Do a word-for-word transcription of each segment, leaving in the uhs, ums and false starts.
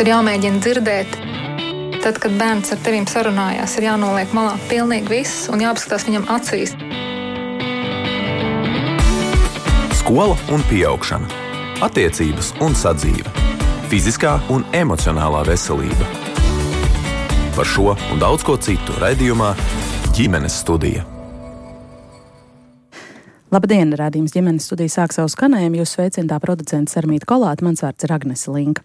ir jāmēģina dzirdēt. Tad, kad bērns ar tevīm sarunājās, ir jānoliek malā pilnīgi viss un jāapskatās viņam acīs. Skola un pieaugšana. Attiecības un sadzīve. Fiziskā un emocionālā veselība. Par šo un daudz ko citu raidījumā Ģimenes studija. Labdien, raidījums Ģimenes studija sāk savu skanējumu. Jūs sveicinātā producenta Sarmīta Kolāte, mans vārds ir Agnese Linka.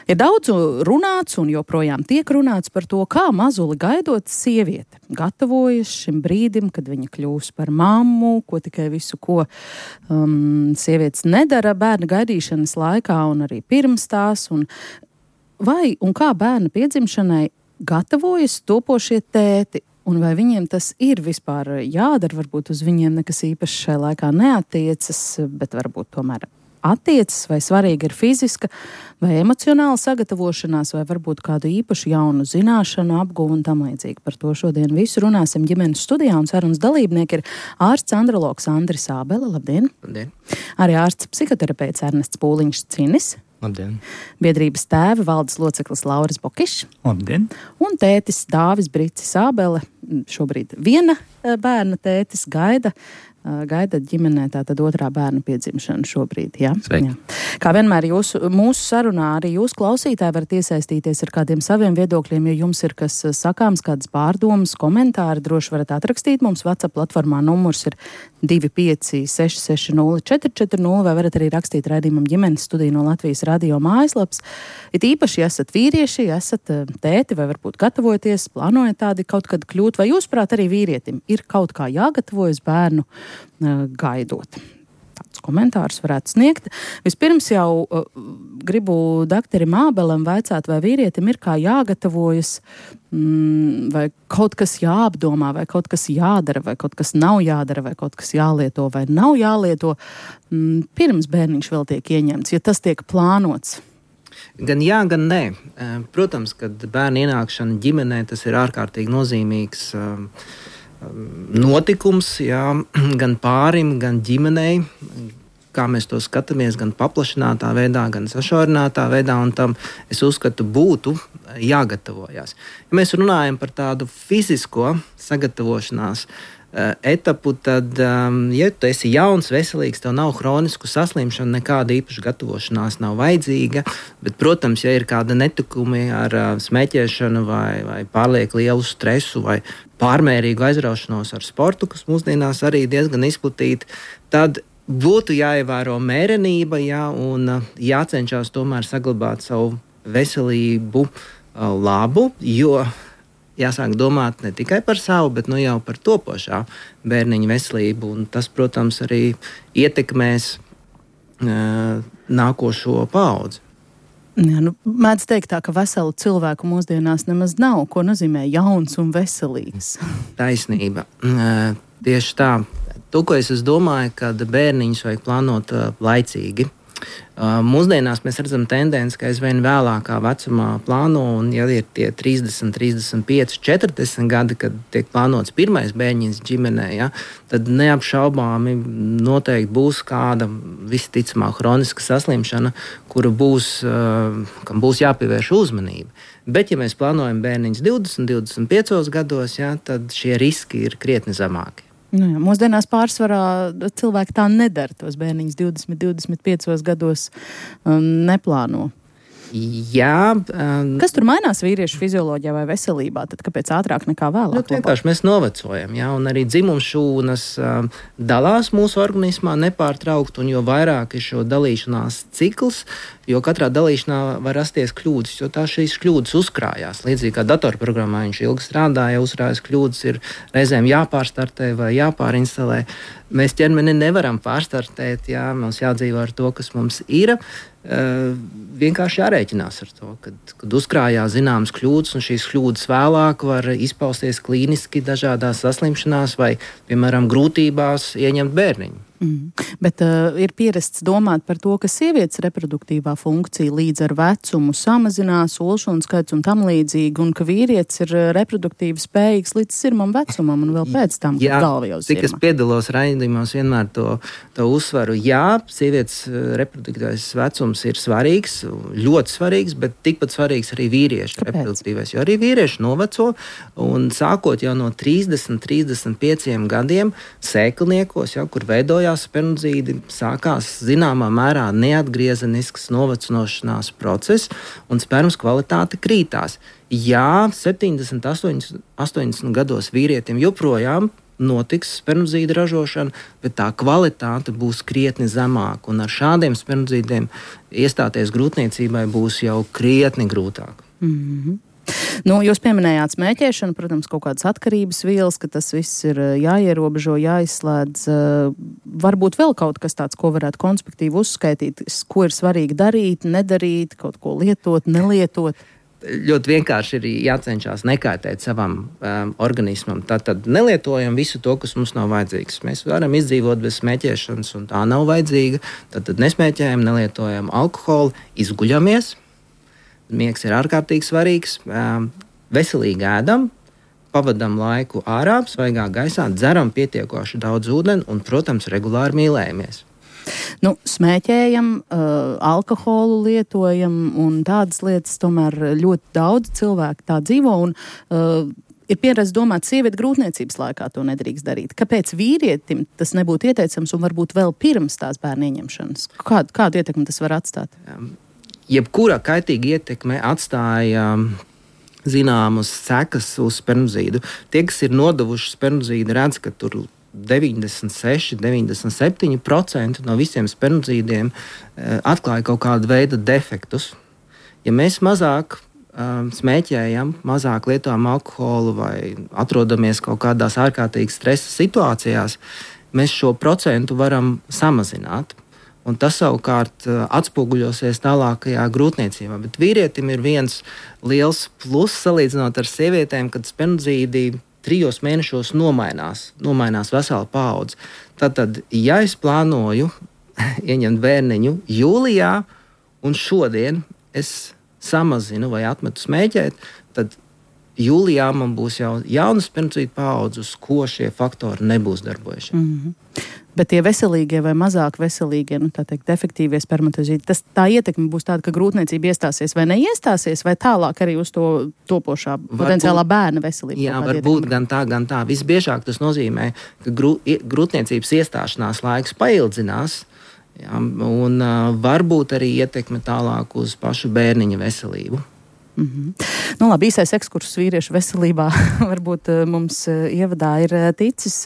Ir daudz runāts un joprojām tiek runāts par to, kā mazuli gaidot sieviete gatavojas šim brīdim, kad viņa kļūs par mammu, ko tikai visu, ko um, sievietes nedara bērna gaidīšanas laikā un arī pirms tās. Un vai un kā bērna piedzimšanai gatavojas topošie tēti? Un vai viņiem tas ir vispār jādara, varbūt uz viņiem nekas īpaši šajā laikā neatiecas, bet varbūt tomēr attiecas, vai svarīga ir fiziska vai emocionāla sagatavošanās, vai varbūt kādu īpašu jaunu zināšanu apguvu un tam līdzīgi. Par to šodien visu runāsim Ģimenes studijā, un sarunas dalībnieki ir ārsts andrologs Andris Ābele. Labdien! Labdien! Arī ārsts psihoterapeits Ernests Pūliņš-Cinis. Labdien! Biedrības tēva valdes loceklis Lauris Bokišs. Labdien! Un tētis Dāvis Bricis Ābele, šobrīd viena bērna tētis, gaida, gaida ģimenē tātad otrā bērna piedzimšanu šobrīd. Ja? Sveiki! Jā. Kā vienmēr jūsu, mūsu sarunā arī jūs klausītāji varat iesaistīties ar kādiem saviem viedokļiem, ja jums ir kas sakāms, kādas pārdomas, komentāri, droši varat atrakstīt. Mums WhatsApp platformā numurs ir divi pieci seši seši nulle četri četri nulle, vai varat arī rakstīt raidījumam Ģimenes studija no Latvijas radio mājaslaps. It īpaši, ja esat vīrieši, ja esat tēti, vai varbūt gatavojaties, plānojat tādi kaut kad kļūt, vai jūsprāt arī vīrietim ir kaut kā jāgatavojas bērnu gaidot. Tādus komentārus varētu sniegt. Vispirms jau uh, gribu doktoram Ābelam vaicāt, vai vīrietim ir kā jāgatavojas, mm, vai kaut kas jāapdomā, vai kaut kas jādara, vai kaut kas nav jādara, vai kaut kas jālieto, vai nav jālieto, mm, pirms bērniņš vēl tiek ieņemts, ja tas tiek plānots. Gan jā, gan nē. Protams, kad bērna ienākšana ģimenē, tas ir ārkārtīgi nozīmīgs um, notikums, jā, gan pārim, gan ģimenei, kā mēs to skatāmies, gan paplašinātā veidā, gan sašaurinātā veidā, un tam, es uzskatu, būtu jāgatavojas. Ja mēs runājam par tādu fizisko sagatavošanās etapu, tad, ja tu esi jauns, veselīgs, tev nav hronisku saslimšanu, nekāda īpaša gatavošanās nav vajadzīga, bet, protams, ja ir kāda netikumi ar smēķēšanu vai, vai pārlieku lielu stresu vai pārmērīgu aizraušanos ar sportu, kas mūsdienās arī diezgan izplatīta, tad būtu jāievēro mērenība, jā, un jācenšas tomēr saglabāt savu veselību labu, jo jāsāk domāt ne tikai par savu, bet nu jau par topošā bērniņa veselību, un tas, protams, arī ietekmēs uh, nākošo paudzi. Jā, nu, mēdz teikt tā, ka veselu cilvēku mūsdienās nemaz nav, ko nozīmē jauns un veselīgs. Taisnība. Uh, tieši tā. To, ko es domāju, kad bērniņus vajag plānot uh, laicīgi. Uh, mūsdienās mēs redzam tendenci, ka aizvien vēlākā vecumā plāno, un ja ir tie trīsdesmit, trīsdesmit pieci, četrdesmit gadi, kad tiek plānots pirmais bērniņš ģimenē, ja, tad neapšaubāmi noteikti būs kāda visticamāk hroniska saslimšana, kura būs, uh, kam būs jāpievērš uzmanība. Bet, ja mēs plānojam bērniņus divdesmit, divdesmit piecos gados, ja, tad šie riski ir krietni zemāki. Nu jā, mūsdienās pārsvarā cilvēki tā nedara, tos bērniņus divdesmit, divdesmit piecos gados um, neplāno. Jā. Um, Kas tur mainās vīriešu fizioloģijā vai veselībā? Tad kāpēc ātrāk nekā vēlāk? Nu, vienkārši mēs novecojam, jā, un arī dzimumšūnas um, dalās mūsu organismā nepārtraukt, un jo vairāk ir šo dalīšanās cikls, jo katrā dalīšanā var rasties kļūdas, jo tā šīs kļūdas uzkrājās. Līdzīgi kā datorprogrammā viņš ilgi strādāja, uzkrājas kļūdas, ir reizēm jāpārstartē vai jāpārinstalē. Mēs ķermeni nevaram pārstartēt, jā, mums jādzīvo ar to, kas mums ir. Uh, vienkārši jārēķinās ar to, kad, kad uzkrājās zināmas kļūdas, un šīs kļūdas vēlāk var izpausties klīniski dažādās saslimšanās vai, piemēram, grūtībās ieņemt bērniņu. Mm. Bet uh, ir pierasts domāt par to, ka sievietes reproduktīvā funkcija līdz ar vecumu samazinās, olšanu skaits un tam līdzīgi, un ka vīrietis ir reproduktīvi spējīgs līdz sirmam vecumam un vēl pēc tam, kad galva jau cik sirma. Es piedalos raidījumos vienmēr to, to uzsvaru. Jā, sievietes reproduktīvais vecums ir svarīgs, ļoti svarīgs, bet tikpat svarīgs arī vīriešu Kāpēc? reproduktīvais, jo arī vīrieši noveco, un sākot jau no trīsdesmit, trīsdesmit pieciem gadiem sēklniekos, jau, kur veidoja spermidzīdi, sākās zināmā mērā neatgriezenisks novecinošanās process un spermas kvalitāte krītās. Jā, septiņdesmit, astoņdesmit gados vīrietim joprojām notiks spermidzīdu ražošana, bet tā kvalitāte būs krietni zemāka, un ar šādiem spermidzīdiem iestāties grūtniecībai būs jau krietni grūtāk. Mm-hmm. Nu, jūs pieminējāt smēķēšanu, protams, kaut kādas atkarības vielas, ka tas viss ir jāierobežo, jāizslēdz. Varbūt vēl kaut kas tāds, ko varētu konspektīvi uzskaitīt, ko ir svarīgi darīt, nedarīt, kaut ko lietot, nelietot. Ļoti vienkārši ir jācenšas nekaitēt savam um, organismam. Tātad nelietojam visu to, kas mums nav vajadzīgs. Mēs varam izdzīvot bez smēķēšanas, un tā nav vajadzīga. Tātad nesmēķējam, nelietojam alkoholu, izguļamies. Miegs ir ārkārtīgi svarīgs. Veselīgi ēdam, pavadam laiku ārā, svaigā gaisā, dzeram pietiekoši daudz ūdeni un, protams, regulāri mīlējamies. Nu, smēķējam, uh, alkoholu lietojam un tādas lietas tomēr ļoti daudz cilvēku tā dzīvo un uh, ir pieredze domāt, sieviete grūtniecības laikā to nedrīkst darīt. Kāpēc vīrietim tas nebūtu ieteicams un varbūt vēl pirms tās bērnu ieņemšanas? Kādu, kādu ietekmi tas var atstāt? Um. Jebkura kaitīga ietekme atstāja zināmas sekas uz spermidzīdu. Tie, kas ir nodevuši spermidzīdu, redz, ka tur deviņdesmit seši, deviņdesmit septiņi procenti no visiem spermidzīdiem atklāja kaut kādu veidu defektus. Ja mēs mazāk um, smēķējam, mazāk lietojam alkoholu vai atrodamies kaut kādās ārkārtīgi stresa situācijās, mēs šo procentu varam samazināt. Un tas savukārt atspoguļosies tālākajā grūtniecībā. Bet vīrietim ir viens liels pluss salīdzinot ar sievietēm, kad spermidzīdi trijos mēnešos nomainās, nomainās vesela paudze. Tātad, ja es plānoju ieņemt bērniņu jūlijā un šodien es samazinu vai atmetu smēķēt, tad jūlijā man būs jau jauna spermidzīdu paudze, uz ko šie faktori nebūs darbojušies. Mm-hmm. Bet tie veselīgie vai mazāk veselīgie, nu tā teikt, efektīvie spermatozīdi, tas tā ietekme būs tāda, ka grūtniecība iestāsies vai neiestāsies, vai tālāk arī uz to topošā varbūt, potenciālā bērna veselību? Jā, varbūt ietekme. gan tā, gan tā. Visbiežāk tas nozīmē, ka grū, grūtniecības iestāšanās laiks paildzinās, jā, un uh, varbūt arī ietekme tālāk uz pašu bērniņa veselību. Mm-hmm. Nu, labi, īsais ekskurss vīriešu veselībā varbūt mums ievadā ir ticis.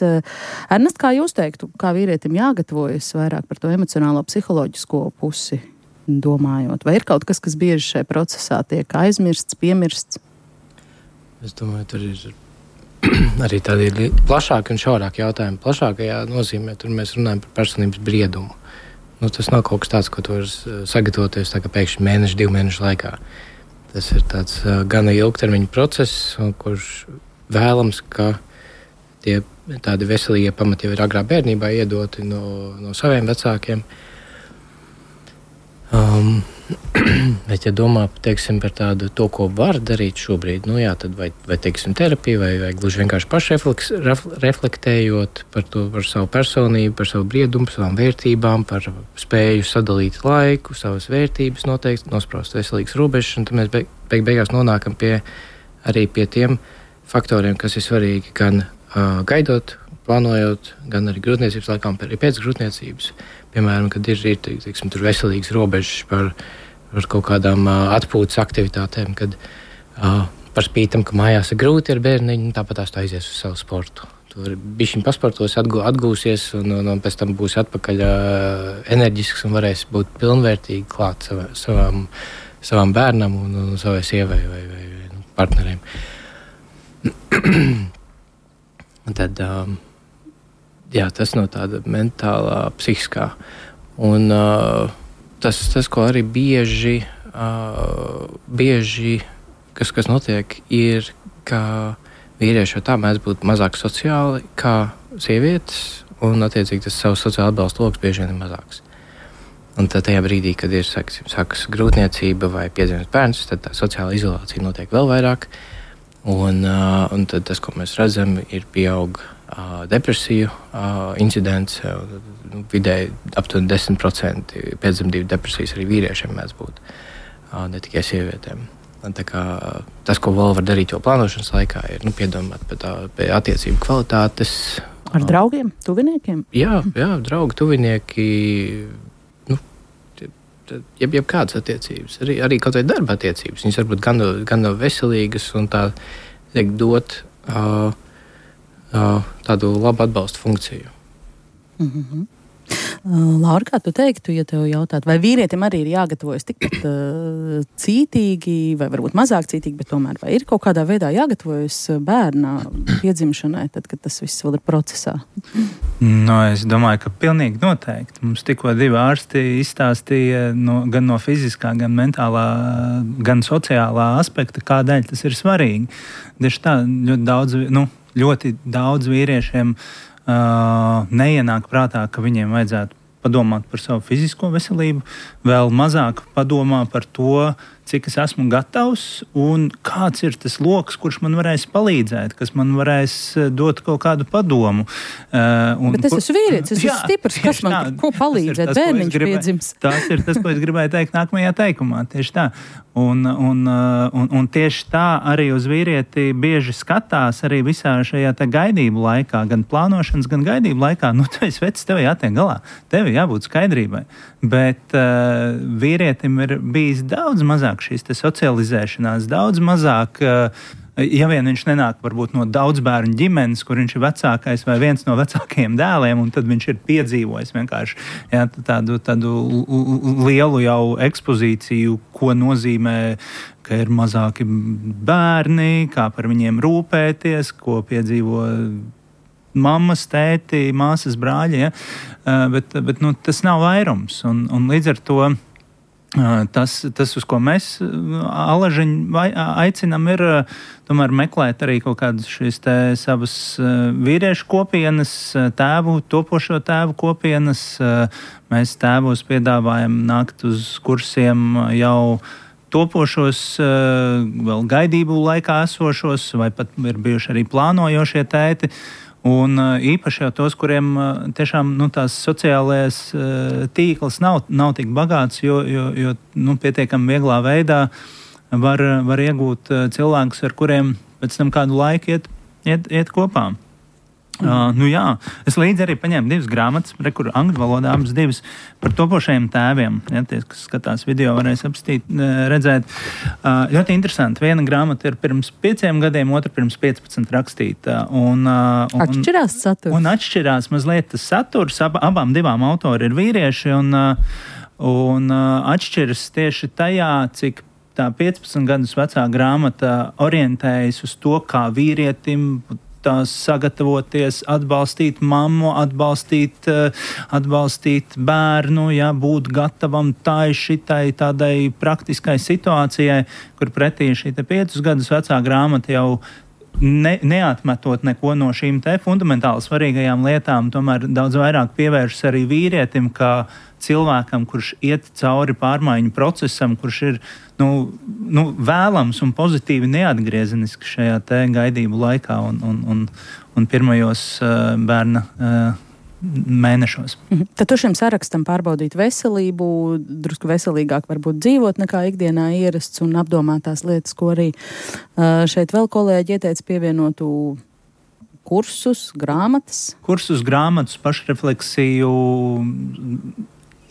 Ernest, kā jūs teiktu, kā vīrietim jāgatavojas vairāk par to emocionālo psiholoģisko pusi domājot? Vai ir kaut kas, kas bieži šajā procesā tiek aizmirsts, piemirsts? Es domāju, tur ir arī tādi plašāki un šaurāki jautājumi. Plašākajā nozīmē, tur mēs runājam par personības briedumu. Nu, tas nav kaut kas tāds, ko tu vari sagatavoties tā kā pēkšņi mēnešu, divu mēnešu laikā. Tas ir tāds uh, gana ilgtermiņa process, kurš vēlams, ka tie tādi veselīgie pamati jau ir agrā bērnībā iedoti no, no saviem vecākiem. Um, bet, ja domā, teiksim, par tādu to, ko var darīt šobrīd, nu jā, tad vai, vai teiksim, terapija, vai, vai gluži vienkārši pašreflektējot par to, par savu personību, par savu briedumu, par savām vērtībām, par spēju sadalīt laiku, savas vērtības noteikti, nospraust veselīgas robežas, un tad mēs beig, beig beigās nonākam pie, arī pie tiem faktoriem, kas ir svarīgi gan uh, gaidot, plānojot, gan arī grūtniecības laikā, arī pēc grūtniecības. Piemēram, kad ir, ir teiksim, tur veselīgas robežas par, par kaut kādām uh, atpūtas aktivitātēm, kad uh, par spītam, ka mājās ir grūti ar bērniņu, tāpat tās tā aizies uz savu sportu. Tur bišķiņ pasportos, atgū, atgūsies un, un, un pēc tam būs atpakaļ uh, enerģisks un varēs būt pilnvērtīgi klāt savā, savām, savām bērnam un, un savai sievai vai, vai, vai nu, partneriem. Un tad... Um, Jā, tas no tāda mentālā, psihiskā. Un uh, tas, tas, ko arī bieži, uh, bieži kas, kas notiek, ir, ka vīrieši jau tā mēdz būt mazāk sociāli kā sievietes. un attiecīgi tas savs sociāla atbalsta loks bieži vien ir mazāks. Un tad tajā brīdī, kad ir sākas, sākas grūtniecība vai piedzimst bērns, tad tā sociāla izolācija notiek vēl vairāk. Un, uh, un tad tas, ko mēs redzam, ir pieaug uh, depresiju uh, incidents. Uh, vidēji aptuveni desmit procenti pēcdzemdību depresijas arī vīriešiem mēdz būt, uh, ne tikai sievietēm. Un tā kā, tas, ko vēl var darīt jau plānošanas laikā, ir nu, piedomāt par tā, pie attiecību kvalitātes. Ar draugiem, tuviniekiem? Jā, jā, draugi, tuvinieki. Jeb, jeb kādas attiecības, arī, arī kaut vai darba attiecības. Viņas varbūt gan, gan veselīgas un tā tiek dot uh, uh, tādu labu atbalstu funkciju. Mm-hmm. Uh, Laura, kā tu teiktu, ja tev jautātu, vai vīrietim arī ir jāgatavojas tikpat uh, cītīgi, vai varbūt mazāk cītīgi, bet tomēr vai ir kaut kādā veidā jāgatavojas bērna piedzimšanai, tad, kad tas viss vēl ir procesā? No, es domāju, ka pilnīgi noteikti. Mums tikko divi ārsti izstāstīja no, gan no fiziskā, gan mentālā, gan sociālā aspekta, kādēļ tas ir svarīgi. Tieši tā, ļoti daudz, nu, ļoti daudz vīriešiem Uh, neienāk prātā, ka viņiem vajadzētu padomāt par savu fizisko veselību, vēl mazāk padomā par to, cik es esmu gatavs un kāds ir tas loks, kurš man varēs palīdzēt, kas man varēs dot kaut kādu padomu. Uh, un, Bet es esmu vīrietis, es jā, esmu stiprs, kas man tā, ko palīdzēt, bērniņš piedzims. Tas ir tas, ko es gribēju teikt nākamajā teikumā, tieši tā. Un, un, un, un tieši tā arī uz vīrieti bieži skatās arī visā šajā te gaidību laikā, gan plānošanas, gan gaidību laikā. Nu, tu esi vecs, tev jātiek galā, tev jābūt skaidrībai. Bet uh, vīrietim ir bijis daudz mazāk šīs te socializēšanās, daudz mazāk, uh, ja vien viņš nenāk varbūt no daudz bērnu ģimenes, kur viņš ir vecākais vai viens no vecākajiem dēliem, un tad viņš ir piedzīvojis vienkārši jā, tādu, tādu lielu jau ekspozīciju, ko nozīmē, ka ir mazāki bērni, kā par viņiem rūpēties, ko piedzīvo mammas, tēti, māsas, brāļi, ja? bet, bet nu, tas nav vairums, un, un līdz ar to Tas, tas, uz ko mēs alažiņi aicinām, ir tomēr meklēt arī kaut kādas šīs te savas vīriešu kopienas, tēvu, topošo tēvu kopienas. Mēs tēvos piedāvājam nākt uz kursiem jau topošos, vēl gaidību laikā esošos, vai pat ir bijuši arī plānojošie tēti. Un īpaši jau tos, kuriem tiešām nu, tās sociālais tīkls nav, nav tik bagāts, jo, jo, jo nu, pietiekami vieglā veidā var, var iegūt cilvēkus, ar kuriem pēc tam kādu laiku iet, iet, iet kopā. Mm. Uh, nu jā, es līdzi arī paņēmu divas grāmatas, re, kur angļu valodā abas divas par topošajiem tēviem. Ja, tie, kas skatās video, varēs apstīt, redzēt. Uh, ļoti interesanti. Viena grāmata ir pirms pieciem gadiem, otra pirms piecpadsmit rakstīta. Un, uh, un, atšķirās saturs. Un atšķirās mazliet tas saturs. Ab, abām divām autori ir vīrieši un, uh, un uh, atšķiras tieši tajā, cik tā piecpadsmit gadus vecā grāmata orientējas uz to, kā vīrietim tās sagatavoties, atbalstīt mammu, atbalstīt, atbalstīt bērnu, jā, būt gatavam tai šitai tādai praktiskai situācijai, kur pretī šī te piecus gadus vecā grāmata jau ne, neatmetot neko no šīm te fundamentāli svarīgajām lietām, tomēr daudz vairāk pievēršas arī vīrietim, kā cilvēkam, kurš iet cauri pārmaiņu procesam, kurš ir nu, nu, vēlams un pozitīvi neatgriezeniski šajā te gaidību laikā un, un, un, un pirmajos uh, bērna uh, mēnešos. Mhm. Tad tu šim sarakstam pārbaudīt veselību, drusku veselīgāk varbūt dzīvot nekā ikdienā ierasts un apdomāt tās lietas, ko arī uh, šeit vēl kolēģi ieteica pievienotu kursus, grāmatas. Kursus, grāmatas, pašrefleksiju,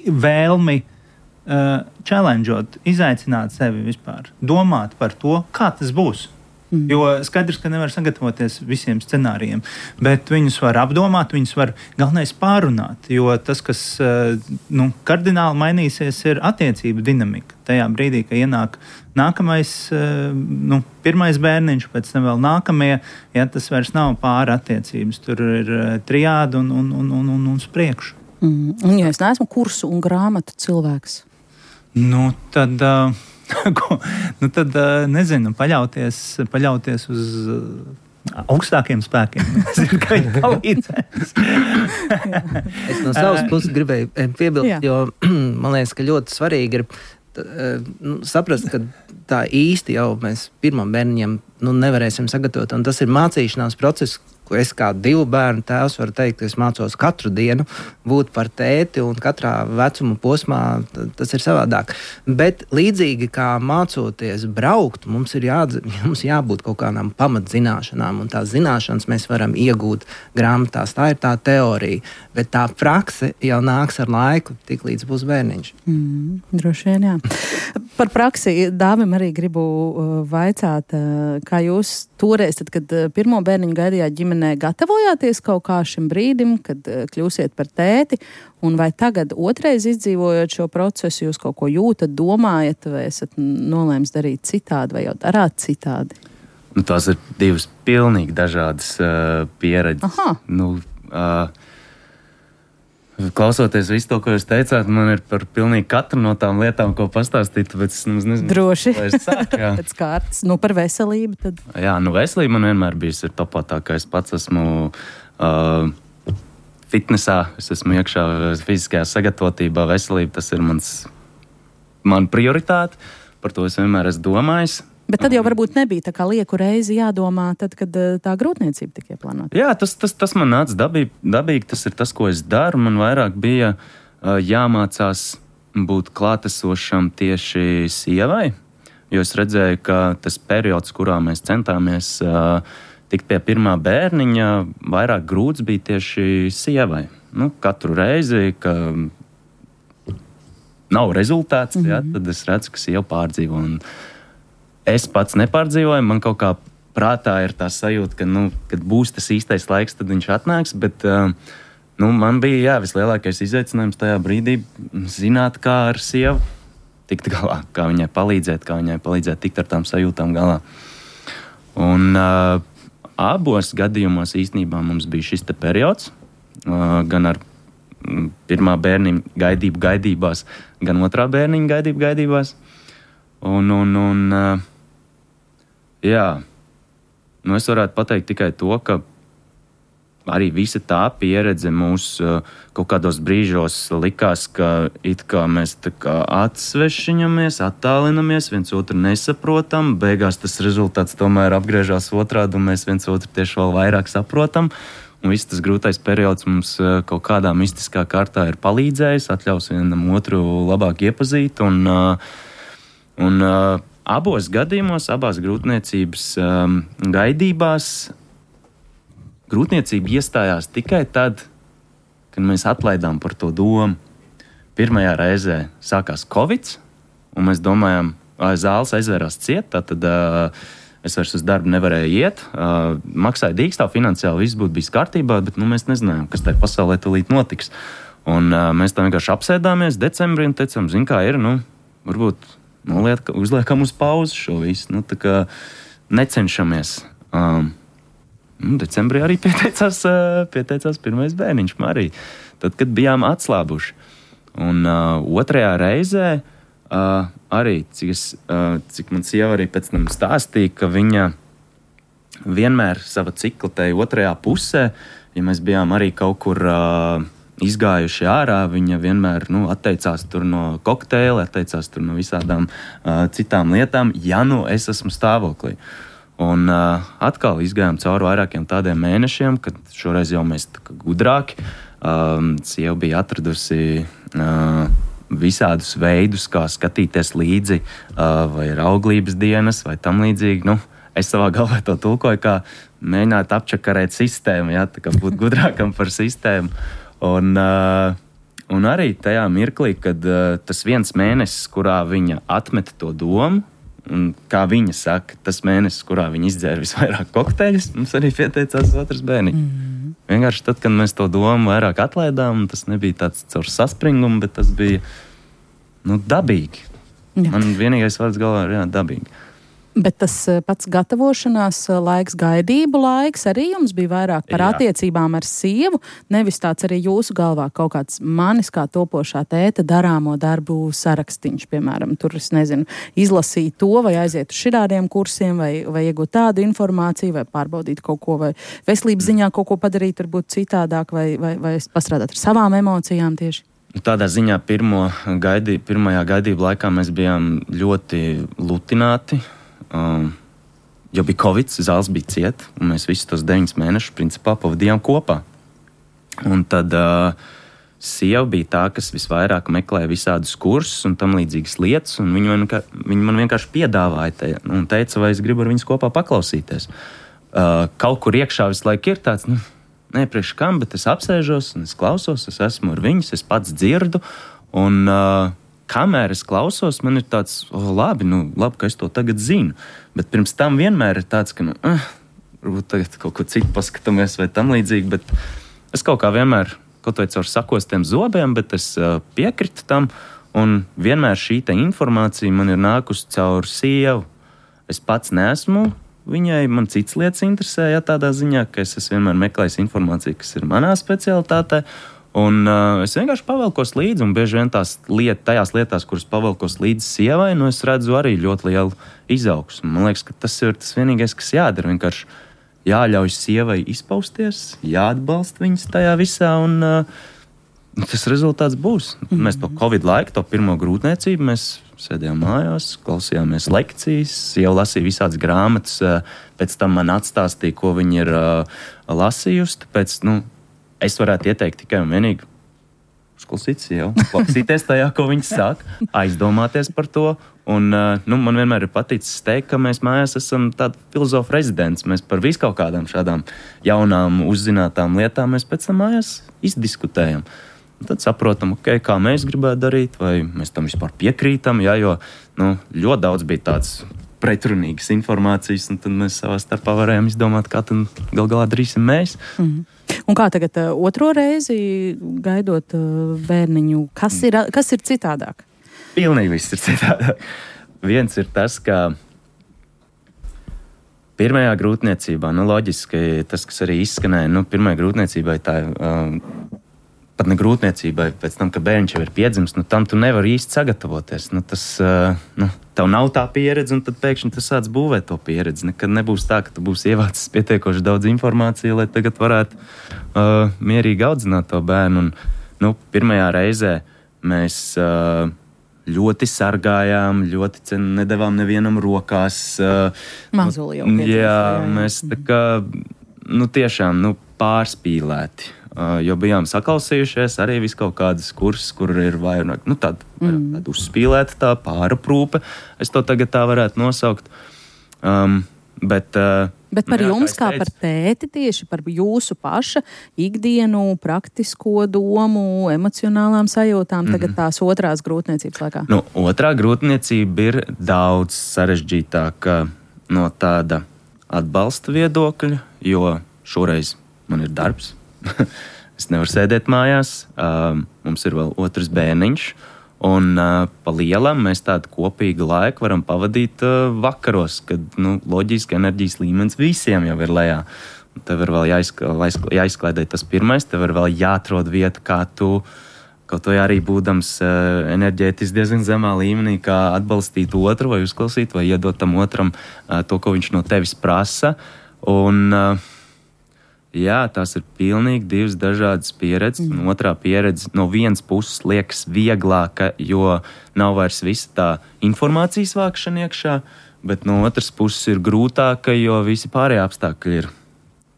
vēlmi uh, challengeot, izaicināt sevi vispār, domāt par to, kā tas būs. Mm. Jo skaidrs, ka nevar sagatavoties visiem scenārijiem, bet viņus var apdomāt, viņus var galvenais pārunāt, jo tas, kas uh, nu, kardināli mainīsies, ir attiecību dinamika. Tajā brīdī, ka ienāk nākamais, uh, nu, pirmais bērniņš, pēc tam vēl nākamie, ja tas vairs nav pāri attiecības, tur ir uh, triāda un, un, un, un, un, un spriekšu. Mm. Un ja es neesmu kursu un grāmatu cilvēks? Nu, tad, uh, ko, nu, tad uh, nezinu, paļauties, paļauties uz augstākiem spēkiem. Es zinu, ka viņi palīdzēs. Es no savas puses gribēju piebilst, jo man liekas, ka ļoti svarīgi ir nu, saprast, ka tā īsti jau mēs pirmam bērniņam nu, nevarēsim sagatavot, un tas ir mācīšanās process, ko es kā divu bērnu tēvs varu teikt, ka es mācos katru dienu būt par tēti, un katrā vecuma posmā tas ir savādāk. Bet līdzīgi kā mācoties braukt, mums ir jādz, mums jābūt kaut kādām pamatzināšanām, un tās zināšanas mēs varam iegūt grāmatās. Tā ir tā teorija, bet tā prakse jau nāks ar laiku, tik līdz būs bērniņš. Mm, droši vien, jā. Par praksi Dāvim arī gribu vaicāt, kā jūs toreiz, tad, kad pirmo bērniņu gaidījāt ģimenē, gatavojāties kaut kā šim brīdim, kad kļūsiet par tēti, un vai tagad otrais izdzīvojot šo procesu, jūs kaut ko jūtat, domājat, vai esat nolēms darīt citādi, vai jau darāt citādi? Nu, tās ir divas pilnīgi dažādas uh, pieredzes. Aha. Nu, uh, klausoties visu to, ko jūs teicāt, man ir par pilnīgi katru no tām lietām, ko pastāstīt, tāpēc es nezinu, droši. Lai es sāku, jā. Pēc kārtas. Nu, par veselību tad. Jā, nu veselība man vienmēr bijusi ir topā, tā kā es pats esmu uh, fitnesā, es esmu iekšā fiziskajā sagatavotībā, veselība, tas ir mans, man prioritāte, par to es vienmēr esmu domājis. Bet tad jau varbūt nebija tā kā lieku reizi jādomā, tad, kad tā grūtniecība tika ieplānota. Jā, tas, tas, tas man nāca dabīgi, dabīgi, tas ir tas, ko es daru. Man vairāk bija uh, jāmācās būt klātesošam tieši sievai, jo es redzēju, ka tas periods, kurā mēs centāmies uh, tikt pie pirmā bērniņa, vairāk grūts bija tieši sievai. Nu, katru reizi, ka nav rezultāts, mm-hmm. jā, tad es redzu, ka sieva pārdzīvo. Un es pats nepārdzīvoju, man kaut kā prātā ir tā sajūta, ka, nu, kad būs tas īstais laiks, tad viņš atnāks, bet uh, nu, man bija jā, vislielākais izaicinājums tajā brīdī zināt, kā ar sievu tikt galā, kā viņai palīdzēt, kā viņai palīdzēt tikt ar tām sajūtām galā. Un uh, abos gadījumos īstenībā mums bija šis te periods, uh, gan ar pirmā bērniņa gaidību gaidībās, gan otrā bērniņa gaidību gaidībās. Un, un, un uh, jā, nu es varētu pateikt tikai to, ka arī visa tā pieredze mūs uh, kaut kādos brīžos likās, ka it kā mēs tā kā atsvešiņamies, attālinamies, viens otru nesaprotam, beigās tas rezultāts tomēr apgriežās otrādi un mēs viens otru tieši vēl vairāk saprotam. Un viss tas grūtais periods mums uh, kaut kādā mistiskā kārtā ir palīdzējis, atļaus vienam otru labāk iepazīt un uh, Un uh, abos gadījumos, abās grūtniecības um, gaidībās, grūtniecība iestājās tikai tad, kad mēs atlaidām par to domu. Pirmajā reizē sākās Covid, un mēs domājām, ka zāles aizvērās ciet, tad uh, es vairs uz darbu nevarēju iet. Uh, maksāja dīkstā, finansiāli viss būtu bijis kārtībā, bet nu, mēs nezinājām, kas tajā pasaulē tūlīt notiks. Un uh, mēs tā vienkārši apsēdāmies decembrī un teicām, zin kā ir, nu, varbūt noliet, uzliekam uz pauzi šo visu, nu, tā kā necenšamies. Um, nu, decembrī arī pieteicās, uh, pieteicās pirmais bērniņš Marija, tad, kad bijām atslābuši. Un uh, otrajā reizē uh, arī, cik, es, uh, cik man sieva arī pēc tam stāstīja, ka viņa vienmēr sava cikla tai otrajā pusē, ja mēs bijām arī kaut kur uh, izgājuši ārā, viņa vienmēr nu, atteicās tur no kokteila, atteicās tur no visādām uh, citām lietām, ja nu es esmu stāvoklī. Un uh, atkal izgājām cauri vairākiem tādiem mēnešiem, kad šoreiz jau mēs tā kā gudrāki. Um, sieva bija atradusi uh, visādus veidus, kā skatīties līdzi, uh, vai ir auglības dienas, vai tam līdzīgi. Nu, es savā galvā to tulkoju, kā mēģināt apčakarēt sistēmu, ja, tā kā būt gudrākam par sistēmu. Un, uh, un arī tajā mirklī, kad uh, tas viens mēnesis, kurā viņa atmeta to domu, un kā viņa saka, tas mēnesis, kurā viņa izdzēra visvairāk kokteļus, mums arī pieteicās otrs bērniņš. Mm. Vienkārši tad, kad mēs to domu vairāk atlaidām, tas nebija tāds caur saspringumu, bet tas bija nu, dabīgi. Jā. Man vienīgais vārds galvā ir jā, dabīgi. Bet tas pats gatavošanās laiks, gaidību laiks arī jums bija vairāk par Jā. attiecībām ar sievu, nevis tāds arī jūsu galvā kaut kāds manis kā topošā tēta darāmo darbu sarakstīņš, piemēram, tur es nezinu, izlasīt to vai aiziet uz šitādiem kursiem vai, vai iegūt tādu informāciju vai pārbaudīt kaut ko vai veselības ziņā kaut ko padarīt, varbūt citādāk vai, vai, vai pastrādāt ar savām emocijām tieši. Tādā ziņā pirmo gaidī, pirmajā gaidību laikā mēs bijām ļoti lutināti, um, jo bija Covid, zāles bija ciet, un mēs visus tos deviņus mēnešus principā pavadījām kopā. Un tad uh, sieva bija tā, kas visvairāk meklēja visādus kursus un tam līdzīgas lietas, un viņi man, viņi man vienkārši piedāvāja te, un teica, vai es gribu ar viņus kopā paklausīties. Uh, kaut kur iekšā visu laiku ir tāds, nu, ne priekš kam, bet es apsēžos un es klausos, es esmu ar viņus, es pats dzirdu, un uh, kamēr es klausos, man ir tāds, oh, labi, nu, labi, ka es to tagad zinu, bet pirms tam vienmēr ir tāds, ka, nu, uh, varbūt tagad kaut ko citu paskatāmies vai tam līdzīgi, bet es kaut kā vienmēr, kaut vai caur sakostiem zobiem, bet es uh, piekritu tam, un vienmēr šī te informācija man ir nākusi caur sievu. Es pats neesmu viņai, man cits lietas interesē, ja tādā ziņā, ka es esmu vienmēr meklējis informāciju, kas ir manā specialitātē, un uh, es vienkārši pavelkos līdzi, un bieži vien tās liet, tajās lietās, kuras pavelkos līdzi sievai, nu es redzu arī ļoti lielu izaugsmu. Man liekas, ka tas ir tas vienīgais, kas jādara, vienkārši jāļauj sievai izpausties, jāatbalsta viņas tajā visā, un uh, tas rezultāts būs. Mm-hmm. Mēs to Covid laiku, to pirmo grūtniecību, mēs sēdējām mājās, klausījāmies lekcijas, sieva lasīja visādas grāmatas, pēc tam man atstāstīja, ko viņa ir uh, lasījusi, tāpēc, nu, es varētu ieteikt tikai un vienīgi uzklausīt sievu, klausīties tajā, ko viņa saka, aizdomāties par to, un, uh, nu, man vienmēr ir paticis teikt, ka mēs mājās esam tādi filozofu rezidents, mēs par visu kaut kādām šādām jaunām, uzzinātām lietām mēs pēc tam mājās izdiskutējam. Un tad saprotam, okay, kā mēs gribētu darīt, vai mēs tam vispār piekrītam, jā, jo nu, ļoti daudz bija tāds pretrunīgas informācijas, un tad mēs savā starpā varējām izdomāt, kā tad gal galā darīsim mēs. Mm. Un kā tagad uh, otro reizi gaidot uh, bērniņu, kas ir, kas ir citādāk? Pilnīgi viss ir citādāk. Viens ir tas, ka pirmajā grūtniecībā, nu loģiski tas, kas arī izskanēja, nu pirmajā grūtniecībā tā ir uh, pat ne grūtniecībai, pēc tam, ka bērniņš jau ir piedzimis, nu tam tu nevari īsti sagatavoties. Nu, tas, uh, nu, tev nav tā pieredze, un tad pēkšņi tu sāc būvēt to pieredzi. Nekad nebūs tā, ka tu būsi ievācis pietiekoši daudz informāciju, lai tagad varētu uh, mierīgi audzināt to bērnu. Un, nu, pirmajā reizē mēs uh, ļoti sargājām, ļoti nedavām nevienam rokās. Uh, Mazuli jau nu, pietiek. Jā, mēs tā kā, nu tiešām, nu pārspīlēti. Uh, jo bijām saklausījušies arī vis kaut kādas kursus, kur ir vairāk, nu tāda, mm. tāda uzspīlēta tā pāraprūpe. Es to tagad tā varētu nosaukt. Um, bet, uh, bet par jā, jums, kā, kā par tēti, tieši par jūsu paša ikdienu, praktisko domu, emocionālām sajūtām, mm-hmm. tagad tās otrās grūtniecības laikā? Nu, otrā grūtniecība ir daudz sarežģītāka no tāda atbalsta viedokļa, jo šoreiz man ir darbs. Es nevaru sēdēt mājās, uh, mums ir vēl otrs bērniņš, un uh, pa lielam mēs tādu kopīgu laiku varam pavadīt uh, vakaros, kad nu, loģiski enerģijas līmenis visiem jau ir lejā. Tev ir vēl jāizk- jāizklaidē tas pirmais, tev ir vēl jāatrod vieta, kā tu, kaut vai arī būdams uh, enerģētiski diezgan zemā līmenī, kā atbalstīt otru vai uzklausīt, vai iedot tam otram uh, to, ko viņš no tevis prasa. Un uh, jā, tās ir pilnīgi divas dažādas pieredzes. Mm. Un otrā pieredze no vienas puses liekas vieglāka, jo nav vairs visa tā informācijas vākšana iekšā, bet no otras puses ir grūtāka, jo visi pārējie apstākļi ir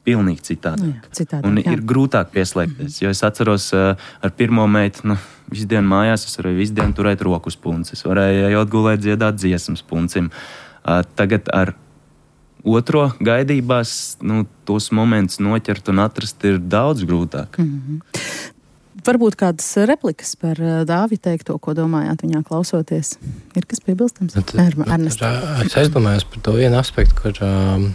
pilnīgi citādāk. Jā, citādāk un jā. Ir grūtāk pieslēgties, jo es atceros uh, ar pirmo meitu, nu, visu dienu mājās, es varēju visu dienu turēt rokas punci, es varēju ejot gulēt dziedāt dziesmas puncim. Uh, tagad ar otro gaidībās, nu, tos momentus noķert un atrast ir daudz grūtāk. Mm-hmm. Varbūt kādas replikas par Dāvi teikto, ko domājāt viņā klausoties? Ir kas piebilstams? Ernest. Es aizdomājos par to vienu aspektu, kur um,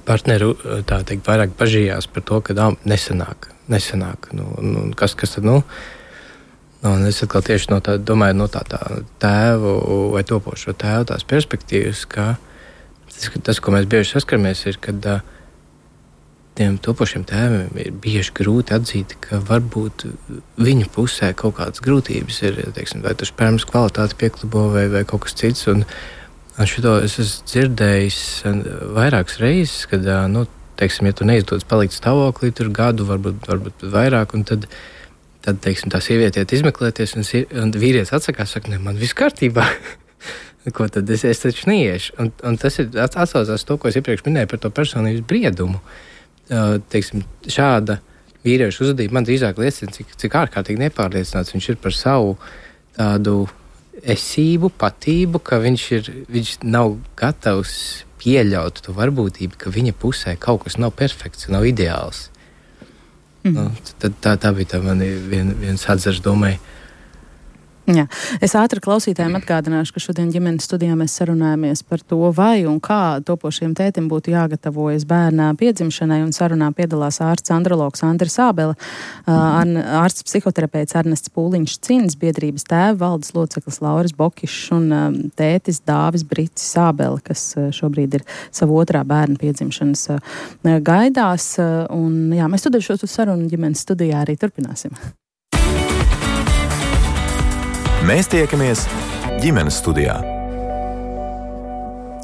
partneri tā teikt vairāk bažījās par to, ka dā, nesanāk, nesanāk. Nu, nu, kas, kas tad, nu, Un es atkal tieši no tā, domāju no tā, tā tēvu vai topošo tēvu tās perspektīvas, ka tas, tas ko mēs bieži saskaramies, ir, kad uh, tiem topošiem tēviem ir bieži grūti atzīt, ka varbūt viņu pusē kaut kādas grūtības ir, teiksim, vai tas spermas kvalitāte pieklibo vai, vai kaut kas cits. Un, un šito es esmu dzirdējis vairākas reizes, kad, nu, teiksim, ja tu neizdodas palikt stāvoklī tur gadu, varbūt, varbūt vairāk, un tad, tad teiksim, tā sieviete iet izmeklēties, un, un vīrietis atsakās, saka, ne, man viss kārtībā. Ko tad es, es taču neiešu. Un, un tas ir atsaucās to, ko es iepriekš minēju par to personības briedumu. Uh, teiksim, šāda vīrieša uzvedība man drīzāk liecina, cik, cik ārkārtīgi nepārliecināts viņš ir par savu tādu esību, patību, ka viņš, ir, viņš nav gatavs pieļaut to varbūtību, ka viņa pusē kaut kas nav perfekts, nav ideāls. Mm. Nu, tad, tā, tā bija tā mani vien, viens atzars domai. Jā. Es ātri klausītājiem atgādināšu, ka šodien ģimenes studijā mēs sarunājamies par to, vai un kā topošiem tētim būtu jāgatavojas bērnā piedzimšanai, un sarunā piedalās ārsts andrologs Andris Ābele, ārsts psihoterapeits Ernests Pūliņš Cins, biedrības tēva valdes loceklis Lauris Bokišs un tētis Dāvis Bricis Ābele, kas šobrīd ir savu otrā bērna piedzimšanas gaidās. Un, jā, mēs studēju šo sarunu ģimenes studijā arī turpināsim. Mēs tiekamies ģimenes studijā.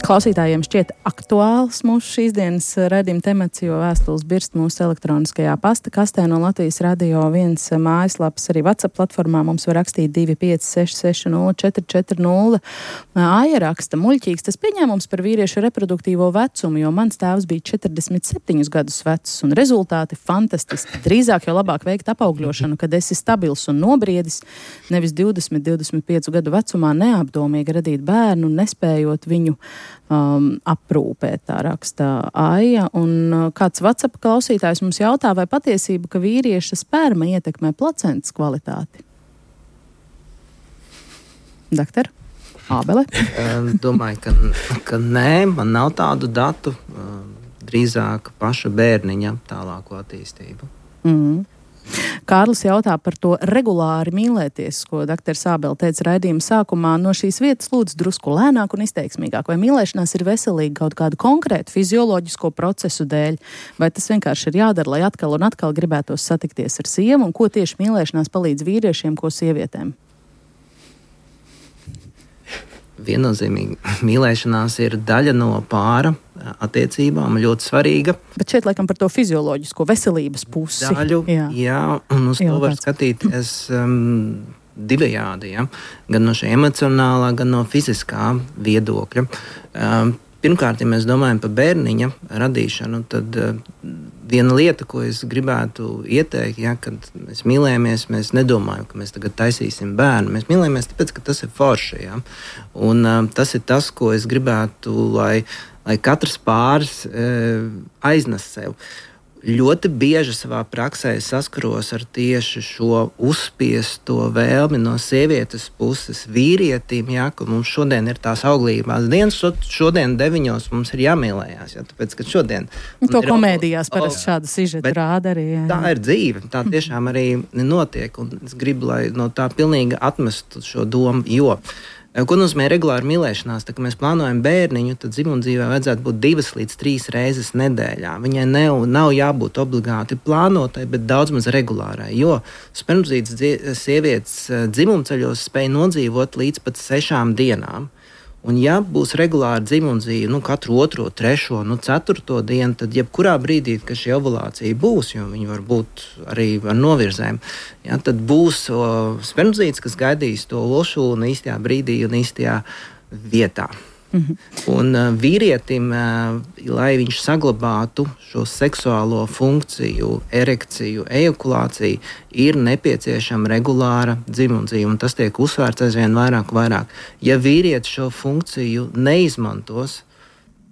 Klausītājiem šķiet aktuāls mūsu šīs dienas raidījuma temats, jo vēstules birst mūsu elektroniskajā pasta kastē no Latvijas Radio viens mājaslapas, arī WhatsApp platformā mums var rakstīt divi pieci seši seši nulle četri četri nulle. Aija raksta, muļķīgs tas pieņēmums par vīriešu reproduktīvo vecumu, jo mans tēvs bija četrdesmit septiņus gadus vecs un rezultāti fantastiski. Drīzāk jau labāk veikt apaugļošanu, kad esi stabils un nobriedis, nevis divdesmit, divdesmit piecu gadu vecumā neapdomīgi radīt bērnu, nespējot viņu Um, aprūpēt, tā raksta Aija. Un uh, kāds WhatsApp klausītājs mums jautā, vai patiesība, ka vīrieša sperma ietekmē placentas kvalitāti? Doktor Ābele? Domāju, ka, ka nē, man nav tādu datu, drīzāk paša bērniņa tālāko attīstību. Mm. Kārlis jautā par to regulāri mīlēties, ko doktors Ābele teica raidījuma sākumā. No šīs vietas lūdzu drusku lēnāk un izteiksmīgāk. Vai mīlēšanās ir veselīga kaut kādu konkrētu fizioloģisko procesu dēļ? Vai tas vienkārši ir jādara, lai atkal un atkal gribētos satikties ar sievu? Un ko tieši mīlēšanās palīdz vīriešiem, ko sievietēm? Viennozīmīgi mīlēšanās ir daļa no pāra attiecībām, ļoti svarīga. Bet šeit laikam par to fizioloģisko veselības pusi. Daļu, jā, jā un uz jā, to var skatīties um, divējādi, ja? Gan no šī emocionālā, gan no fiziskā viedokļa. Um, pirmkārt, ja mēs domājam par bērniņa radīšanu, tad uh, viena lieta, ko es gribētu ieteikt, ja, kad mēs mīlējamies, mēs nedomājam, ka mēs tagad taisīsim bērnu. Mēs mīlējamies tāpēc, ka tas ir forši. Ja? Un um, tas ir tas, ko es gribētu, lai, lai katrs pāris e, aiznes sev. Ļoti bieži savā praksē saskaros ar tieši šo uzspiesto vēlmi no sievietes puses vīrietim, ja, ka mums šodien ir tās auglībās dienas, šodien deviņos mums ir jāmīlējās, ja, tāpēc, ka šodien... To komēdijās parasti šādu sižetu rāda arī. Jā. Tā ir dzīve, tā tiešām arī notiek, un es gribu, lai no tā pilnīgi atmestu šo domu, jo... Ko nozīmē regulāra mīlēšanās? Tā, kad mēs plānojam bērniņu, tad dzimumdzīvē vajadzētu būt divas līdz trīs reizes nedēļā. Viņai nav, nav jābūt obligāti plānotai, bet daudz maz regulārai, jo spermzītes sievietes dzimumceļos spēj nodzīvot līdz pat sešām dienām. Un ja būs regulāra dzimumdzīve, nu, katru otro, trešo, nu, ceturto dienu, tad jebkurā brīdī, kad šī ovulācija būs, jo viņi var būt arī ar novirzēm, ja, tad būs o, spermzītes, kas gaidīs to olšūnu īstajā brīdī un īstajā vietā. Mm-hmm. Un uh, vīrietim, uh, lai viņš saglabātu šo seksuālo funkciju, erekciju, ejakulāciju, ir nepieciešama regulāra dzimumdzīve, un tas tiek uzsvērts aizvien vairāk un vairāk. Ja vīrietis šo funkciju neizmantos,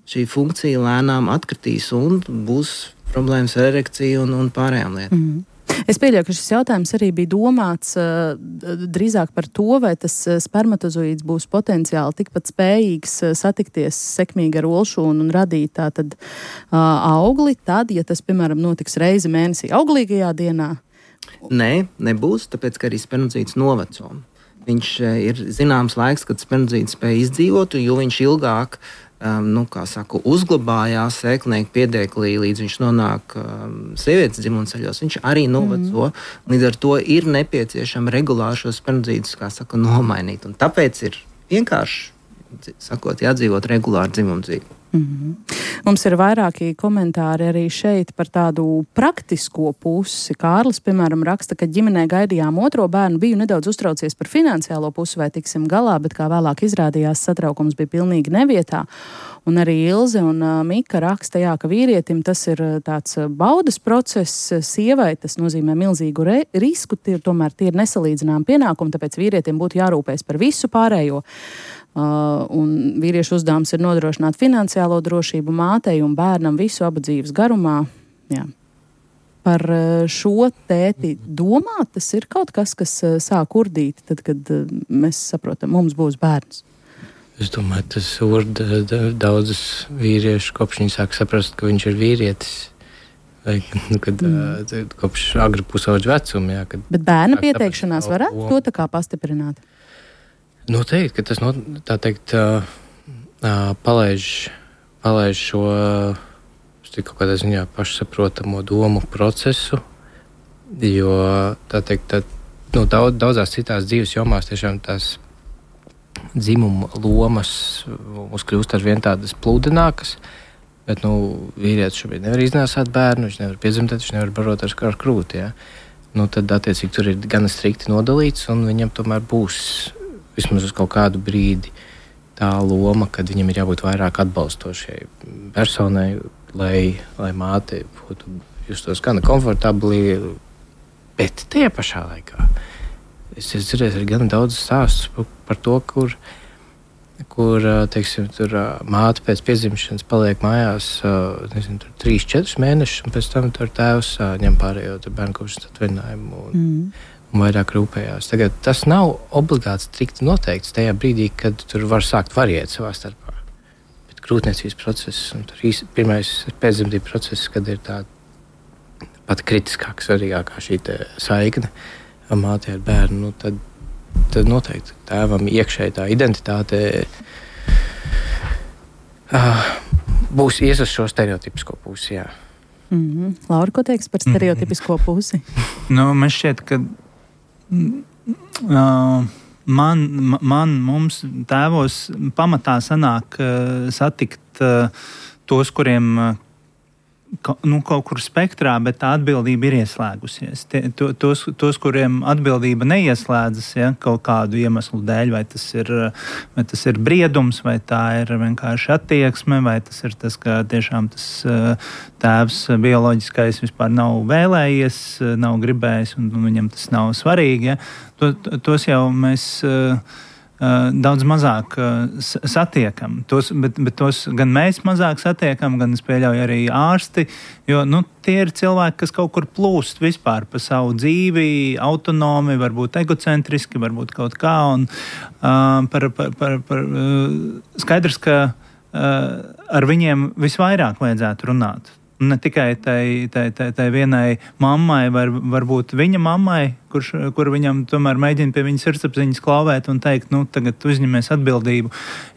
šī funkcija lēnām atkritīs un būs problēmas ar erekciju un, un pārējām lietām. Mm-hmm. Es pieļauju, ka šis jautājums arī bija domāts uh, drīzāk par to, vai tas spermatozoīds būs potenciāli tikpat spējīgs uh, satikties sekmīgi ar olšūnu un radīt tātad uh, augli, tad, ja tas, piemēram, notiks reizi mēnesī auglīgajā dienā, Nē, nebūs, tāpēc, ka arī spermidzīts noveco. Viņš ir zināms laiks, kad spermidzīts spēj izdzīvot, jo viņš ilgāk Um, nu, kā saku, uzglabājās sēklnieku piedēklī, līdz viņš nonāk um, sievietes dzimumceļos. Viņš arī noveco. Mm. Līdz ar to ir nepieciešama regulāri šos spermidzītus, kā saka, nomainīt. Un tāpēc ir vienkārši, sakot, jādzīvot regulāri dzimumdzīvi. Mm-hmm. Mums ir vairāki komentāri arī šeit par tādu praktisko pusi. Kārlis, piemēram, raksta, ka ģimenē gaidījām otro bērnu, biju nedaudz uztraucies par finansiālo pusi, vai tiksim galā, bet kā vēlāk izrādījās, satraukums bija pilnīgi nevietā. Un arī Ilze un uh, Mika raksta, jā, ka vīrietim tas ir tāds baudas process, sievai tas nozīmē milzīgu re- risku, tie, tomēr tie ir nesalīdzinām pienākumi, tāpēc vīrietim būtu jārūpēs par visu pārējo. Uh, un vīriešu uzdevums ir nodrošināt finansiālo drošību mātei un bērnam visu abu dzīves garumā. Jā. Par uh, šo tēti domāt, tas ir kaut kas, kas uh, sāk urdīt, tad, kad uh, mēs saprotam, mums būs bērns. Es domāju, tas urda daudzas vīriešu, kopš viņi sāk saprast, ka viņš ir vīrietis. Vai, nu, kad, mm. uh, kopš agri pusauģa vecuma. Jā, kad, Bet bērna pieteikšanās varētu to tā kā pastiprināt? Noteikti, ka tas, no, tā teikt, uh, uh, palaiž, palaiž šo uh, kaut kādā ziņā pašsaprotamo domu procesu, jo, tā teikt, tā, nu, daudz, daudzās citās dzīves jomās tiešām tās dzimuma lomas mums kļūst ar vien tādas plūdenākas, bet, nu, vīrietis šobrīd nevar iznāsāt bērnu, viņš nevar piedzimtēt, viņš nevar barot ar, ar krūti, jā. Nu, tad, attiecīgi, tur ir gana strikti nodalīts, un viņam tomēr būs vismaz uz kaut kādu brīdi tā loma, kad viņam ir jābūt vairāk atbalstošai personai, lai, lai māte būtu justos gana komfortabli, bet tajā pašā laikā. Es esmu dzirdējis arī gana daudz stāstus par to, kur, kur teiksim, tur māte pēc piedzimšanas paliek mājās nezinu, tur trīs, četrus mēnešus, un pēc tam tur tēvs ņem pārējo bērnu kopšanas atvaļinājumu un mm. un vairāk rūpējās. Tagad tas nav obligāti strikti noteikts tajā brīdī, kad tur var sākt variēt savā starpā. Bet grūtniecības process un tur īsti pirmais pēcdzemdību process, kad ir tā pat kritiskāk, svarīgākā šī saikne māte ar bērnu, nu, tad, tad noteikti tēvam iekšēji tā identitāte uh, būs ies uz šo stereotipisko pusi, jā. Mm-hmm. Laura, ko teiks par stereotipisko pusi? Nu, man šķiet, ka Uh, man, man, mums tēvos pamatā sanāk uh, satikt uh, tos, kuriem uh, ka, nu, kaut kur spektrā, bet tā atbildība ir ieslēgusies. Tie, to, tos, tos, kuriem atbildība neieslēdzas, ja, kaut kādu iemeslu dēļ, vai tas ir, vai tas ir briedums, vai tā ir vienkārši attieksme, vai tas ir tas, ka tiešām tas uh, tēvs bioloģiskais vispār nav vēlējies, nav gribējis, un, un viņam tas nav svarīgi. Ja. To, tos jau mēs uh, uh, daudz mazāk uh, satiekam. Tos, bet, bet tos gan mēs mazāk satiekam, gan es pieļauju arī ārsti, jo nu, tie ir cilvēki, kas kaut kur plūst vispār pa savu dzīvi, autonomi, varbūt egocentriski, varbūt kaut kā. Un, uh, par, par, par, par, uh, skaidrs, ka uh, ar viņiem visvairāk vajadzētu runāt. Ne tikai tai, tai, tai, tai vienai mammai, var, varbūt viņa mammai, kurš, kur viņam tomēr mēģina pie viņas sirdsapziņas klauvēt un teikt, nu, tagad uzņemies atbildību.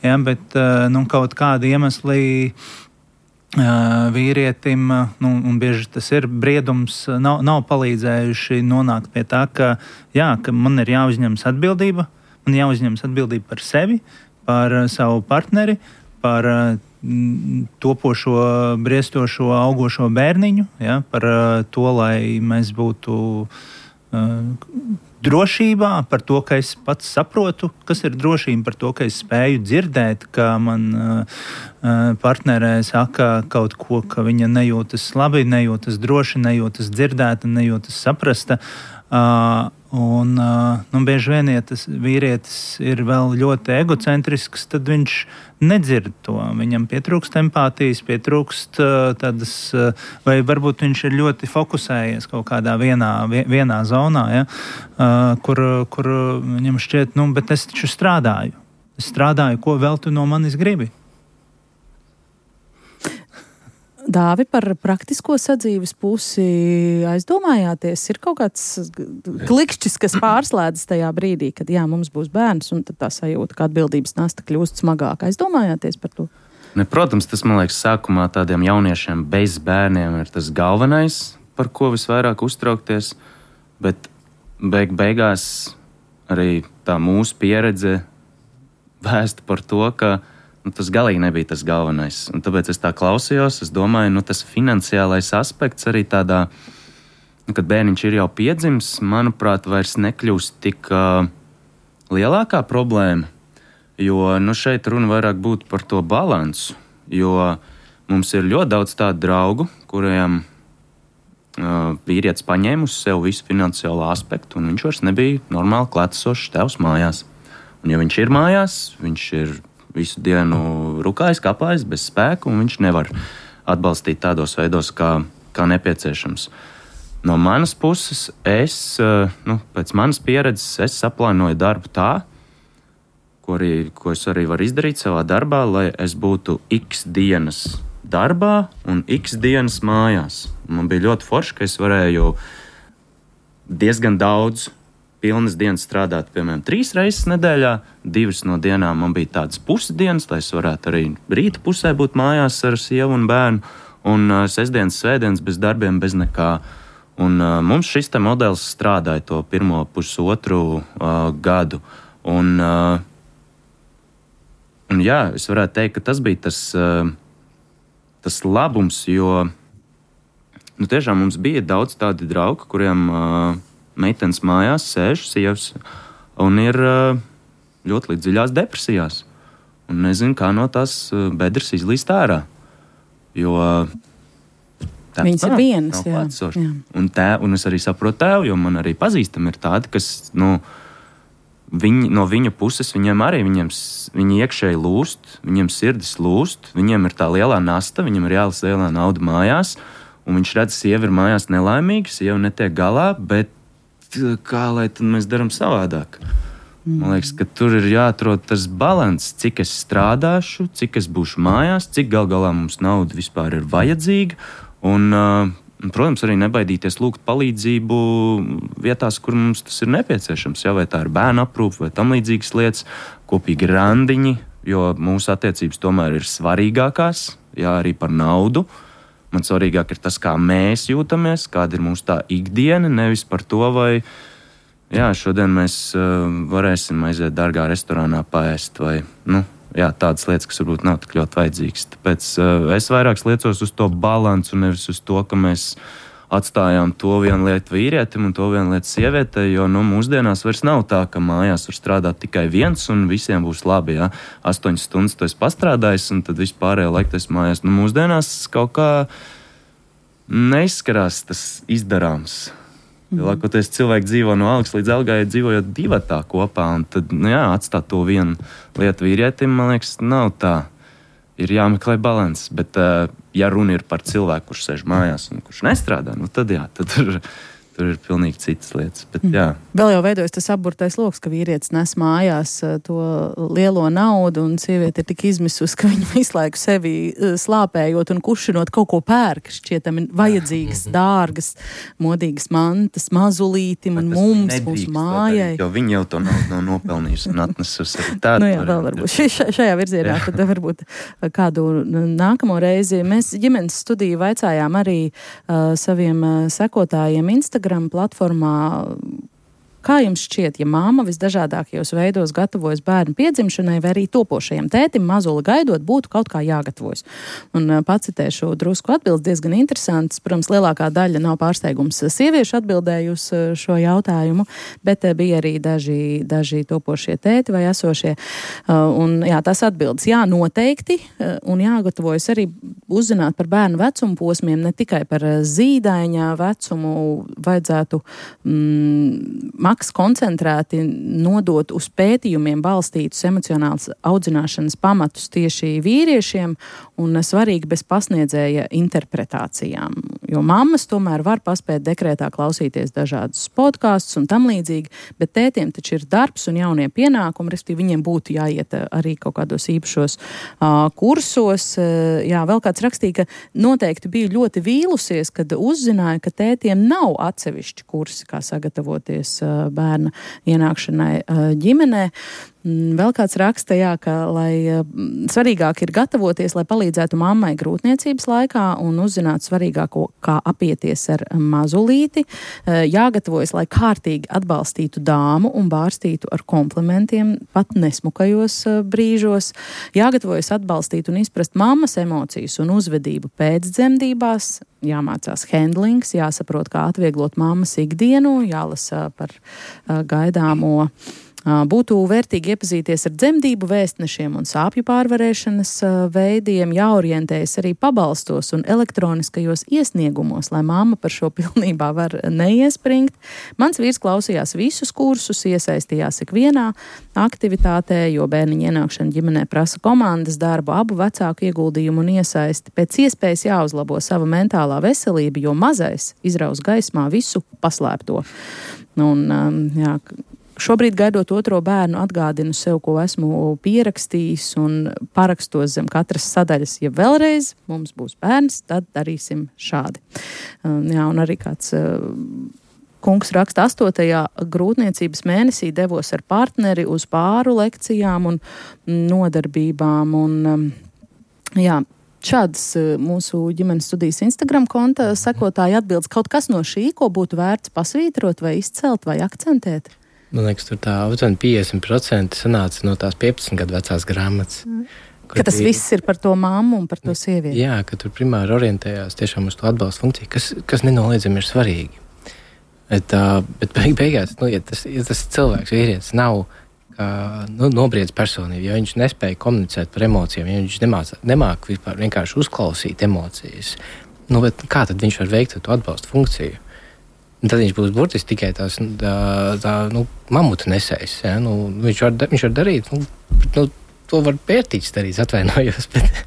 Ja, bet nu, kaut kādi iemesli uh, vīrietim, nu, un bieži tas ir briedums, nav, nav palīdzējuši nonākt pie tā, ka, jā, ka man ir jāuzņemas atbildība, man jāuzņemas atbildība par sevi, par savu partneri, par topošo, briestošo, augošo bērniņu, ja, par uh, to, lai mēs būtu uh, drošībā, par to, ka es pats saprotu, kas ir drošība, par to, ka es spēju dzirdēt, ka man uh, partnerē saka kaut ko, ka viņa nejūtas labi, nejūtas droši, nejūtas dzirdēta, nejūtas saprasta. Uh, un, uh, nu, bieži vien, ja tas vīrietis ir vēl ļoti egocentrisks, tad viņš nedzird to. Viņam pietrūkst empātijas, pietrūkst uh, tādas, uh, vai varbūt viņš ir ļoti fokusējies kaut kādā vienā, vienā zonā, ja, uh, kur, kur viņam šķiet, nu, bet es taču strādāju. Es strādāju, ko vēl tu no manis gribi? Dāvi, par praktisko sadzīves pusi aizdomājāties? Ir kaut kāds klikšķis, kas pārslēdzas tajā brīdī, kad jā, mums būs bērns, un tad tā sajūta, ka atbildības nasta kļūst smagāk. Aizdomājāties par to? Ne, protams, tas, man liekas, sākumā tādiem jauniešiem bez bērniem ir tas galvenais, par ko visvairāk uztraukties, bet beig beigās arī tā mūsu pieredze vēsta par to, ka nu, tas galīgi nebija tas galvenais. Un tāpēc es tā klausījos, es domāju, nu, tas finansiālais aspekts arī tādā, nu, kad bērniņš ir jau piedzimis, manuprāt, vairs nekļūst tik uh, lielākā problēma, jo nu, šeit runa vairāk būtu par to balansu, jo mums ir ļoti daudz tādu draugu, kuriem uh, vīrietis paņēma uz sev visu finansiālo aspektu, un viņš vairs nebija normāli klātesošs tēvs mājās. Un ja viņš ir mājās, viņš ir visu dienu rukājis, kapājis, bez spēka, un viņš nevar atbalstīt tādos veidos, kā, kā nepieciešams. No manas puses, es, nu, pēc manas pieredzes, es saplānoju darbu tā, ko, arī, ko es arī varu izdarīt savā darbā, lai es būtu x dienas darbā un x dienas mājās. Man bija ļoti forši, ka es varēju diezgan daudz pilnas dienas strādāt, piemēram, trīs reizes nedēļā. Divas no dienām man bija tādas pusdienas, lai es varētu arī rīta pusē būt mājās ar sievu un bērnu, un uh, sestdienas, svētdienas bez darbiem, bez nekā. Un uh, mums šis te modelis strādāja to pirmo pusotru uh, gadu. Un, uh, un jā, es varētu teikt, ka tas bija tas, uh, tas labums, jo nu, tiešām mums bija daudz tādi draugi, kuriem uh, meitenes mājās sēž, sievas, un ir ļoti līdz dziļās depresijās. Un nezinu, kā no tās bedres izlīst ārā. Jo viņas ir vienas, jā. jā. Un, tē, un es arī saprotu tēvu, jo man arī pazīstami ir tādi, kas, nu, viņi, no viņa puses viņiem arī, viņiem, viņi iekšēji lūst, viņiem sirdis lūst, viņiem ir tā lielā nasta, viņiem ir jālas lielā nauda mājās, un viņš redz, sieva ir mājās nelaimīga, sieva netiek galā, bet kā lai tad mēs darām savādāk? Man liekas, ka tur ir jāatrod tas balans, cik es strādāšu, cik es būšu mājās, cik gal galā mums nauda vispār ir vajadzīga, un, protams, arī nebaidīties lūgt palīdzību vietās, kur mums tas ir nepieciešams, ja, vai tā ir bērnu aprūpe vai tam līdzīgas lietas, kopīgi randiņi, jo mūsu attiecības tomēr ir svarīgākās, jā, arī par naudu. Man svarīgāk ir tas, kā mēs jūtamies, kāda ir mūsu tā ikdiena, nevis par to, vai jā, šodien mēs uh, varēsim aiziet dārgā restorānā paēst, vai nu, jā, tādas lietas, kas varbūt nav tik ļoti vajadzīgas. Tāpēc uh, es vairāk liecos uz to balansu, nevis uz to, ka mēs atstājām to vienu lietu vīrietim un to vienu lietu sievietei, jo nu, mūsdienās vairs nav tā, ka mājās var strādāt tikai viens un visiem būs labi. Ja? Astoņas stundas tu esi pastrādājis un tad vispārējo laiku tu esi mājās. Nu, mūsdienās kaut kā neizskarās tas izdarāms. Mm. Lielākoties cilvēki dzīvo no algas līdz algai, dzīvojot divatā kopā, un tad nu, jā, atstāt to vienu lietu vīrietim, man liekas, nav tā. Ir jāmeklē balans, bet, uh, ja runa ir par cilvēku, kurš sēž mājās un kurš nestrādā, nu tad jā, tad tur, tur ir pilnīgi citas lietas. Bet, jā. Vēl jau veidojas tas apburtais loks, ka vīrietis nes mājās to lielo naudu un sieviete ir tik izmisus, ka viņa visu laiku sevi slāpējot un kušinot kaut ko pērk, šķietam vajadzīgas, dārgas, modīgas mantas, mazulītim un mums, mūsu mājai. Jo viņi jau to naudu nav nopelnījusi un atnesusi arī tādu. Nu jā, vēl varbūt šajā virzienā, tad varbūt kādu nākamo reizi. Mēs ģimenes studiju vaicājām arī uh, saviem uh, sekotājiem Instagram platformā. Kā jums šķiet, ja māma visdažādākajos veidos gatavojas bērnu piedzimšanai vai arī topošajam tētim mazuli gaidot, būtu kaut kā jāgatavojas? Un pacitēšu drusku atbildes, diezgan interesants. Protams, lielākā daļa nav pārsteigums sieviešu atbildējusi šo jautājumu, bet bija arī daži, daži topošie tēti vai esošie. Un jā, tās atbildes, jā, noteikti, un jāgatavojas arī uzzināt par bērnu vecumu posmiem, ne tikai par zīdaiņa vecumu vajadzētu mm, maks koncentrēti nodot uz pētījumiem balstītus emocionāls audzināšanas pamatus tieši vīriešiem un svarīgi bez pasniedzēja interpretācijām. Jo mammas tomēr var paspēt dekrētā klausīties dažādus podkastus un tam līdzīgi, bet tētiem taču ir darbs un jaunie pienākumi, respektīvi viņiem būtu jāiet arī kaut kādos īpašos uh, kursos. Uh, jā, vēl kāds rakstīja, ka noteikti bija ļoti vīlusies, kad uzzināja, ka tētiem nav atsevišķi kursi, kā sagatavoties uh, bērna ienākšanai uh, ģimenē. Vēl kāds raksta, jā, ka lai svarīgāk ir gatavoties, lai palīdzētu mammai grūtniecības laikā un uzzināt svarīgāko, kā apieties ar mazulīti. Jāgatavojas, lai kārtīgi atbalstītu dāmu un bārstītu ar komplimentiem pat nesmukajos brīžos. Jāgatavojas atbalstīt un izprast mammas emocijas un uzvedību pēcdzemdībās. Jāmācās handlings, jāsaprot, kā atvieglot mammas ikdienu, jālasa par gaidāmo. Būtu vērtīgi iepazīties ar dzemdību vēstnešiem un sāpju pārvarēšanas veidiem, jāorientējas arī pabalstos un elektroniskajos iesniegumos, lai mamma par šo pilnībā var neiespringt. Mans vīrs klausījās visus kursus, iesaistījās ikvienā aktivitātē, jo bērniņa ienākšana ģimenē prasa komandas darbu, abu vecāku ieguldījumu un iesaisti. Pēc iespējas jāuzlabo sava mentālā veselība, jo mazais izraus gaismā visu paslēpto. Un, jā, šobrīd, gaidot otro bērnu, atgādinu sev, ko esmu pierakstījis un parakstos zem katras sadaļas. Ja vēlreiz mums būs bērns, tad darīsim šādi. Jā, un arī kāds kungs raksta, astotajā grūtniecības mēnesī devos ar partneri uz pāru lekcijām un nodarbībām. Un, jā, šādas mūsu ģimenes studijas Instagram konta sekotāji atbildes. Kaut kas no šī, ko būtu vērts pasvītrot vai izcelt vai akcentēt? Man liekas, tur tā aptuveni piecdesmit procenti sanāca no tās piecpadsmit gadu vecās grāmatas. Mm. Ka tas bija, viss ir par to mammu un par to sievieti. Jā, ka tur primāri orientējās tiešām uz to atbalstu funkciju, kas, kas nenoliedzami ir svarīgi. Bet, uh, bet beig, beigās, nu, ja tas, ja tas cilvēks, vīrietis, nav kā, nu, nobriedz personību, ja viņš nespēja komunicēt par emocijām, ja viņš nemāc, nemāk vispār vienkārši uzklausīt emocijas, nu, bet kā tad viņš var veikt to atbalstu funkciju? Tad viņš būs burtiski tikai tās tā, tā, nu, mamuta nesējs. Ja? Nu, viņš, var, viņš var darīt, nu, nu, to var pērtīgs darīt, atvainojos. Bet,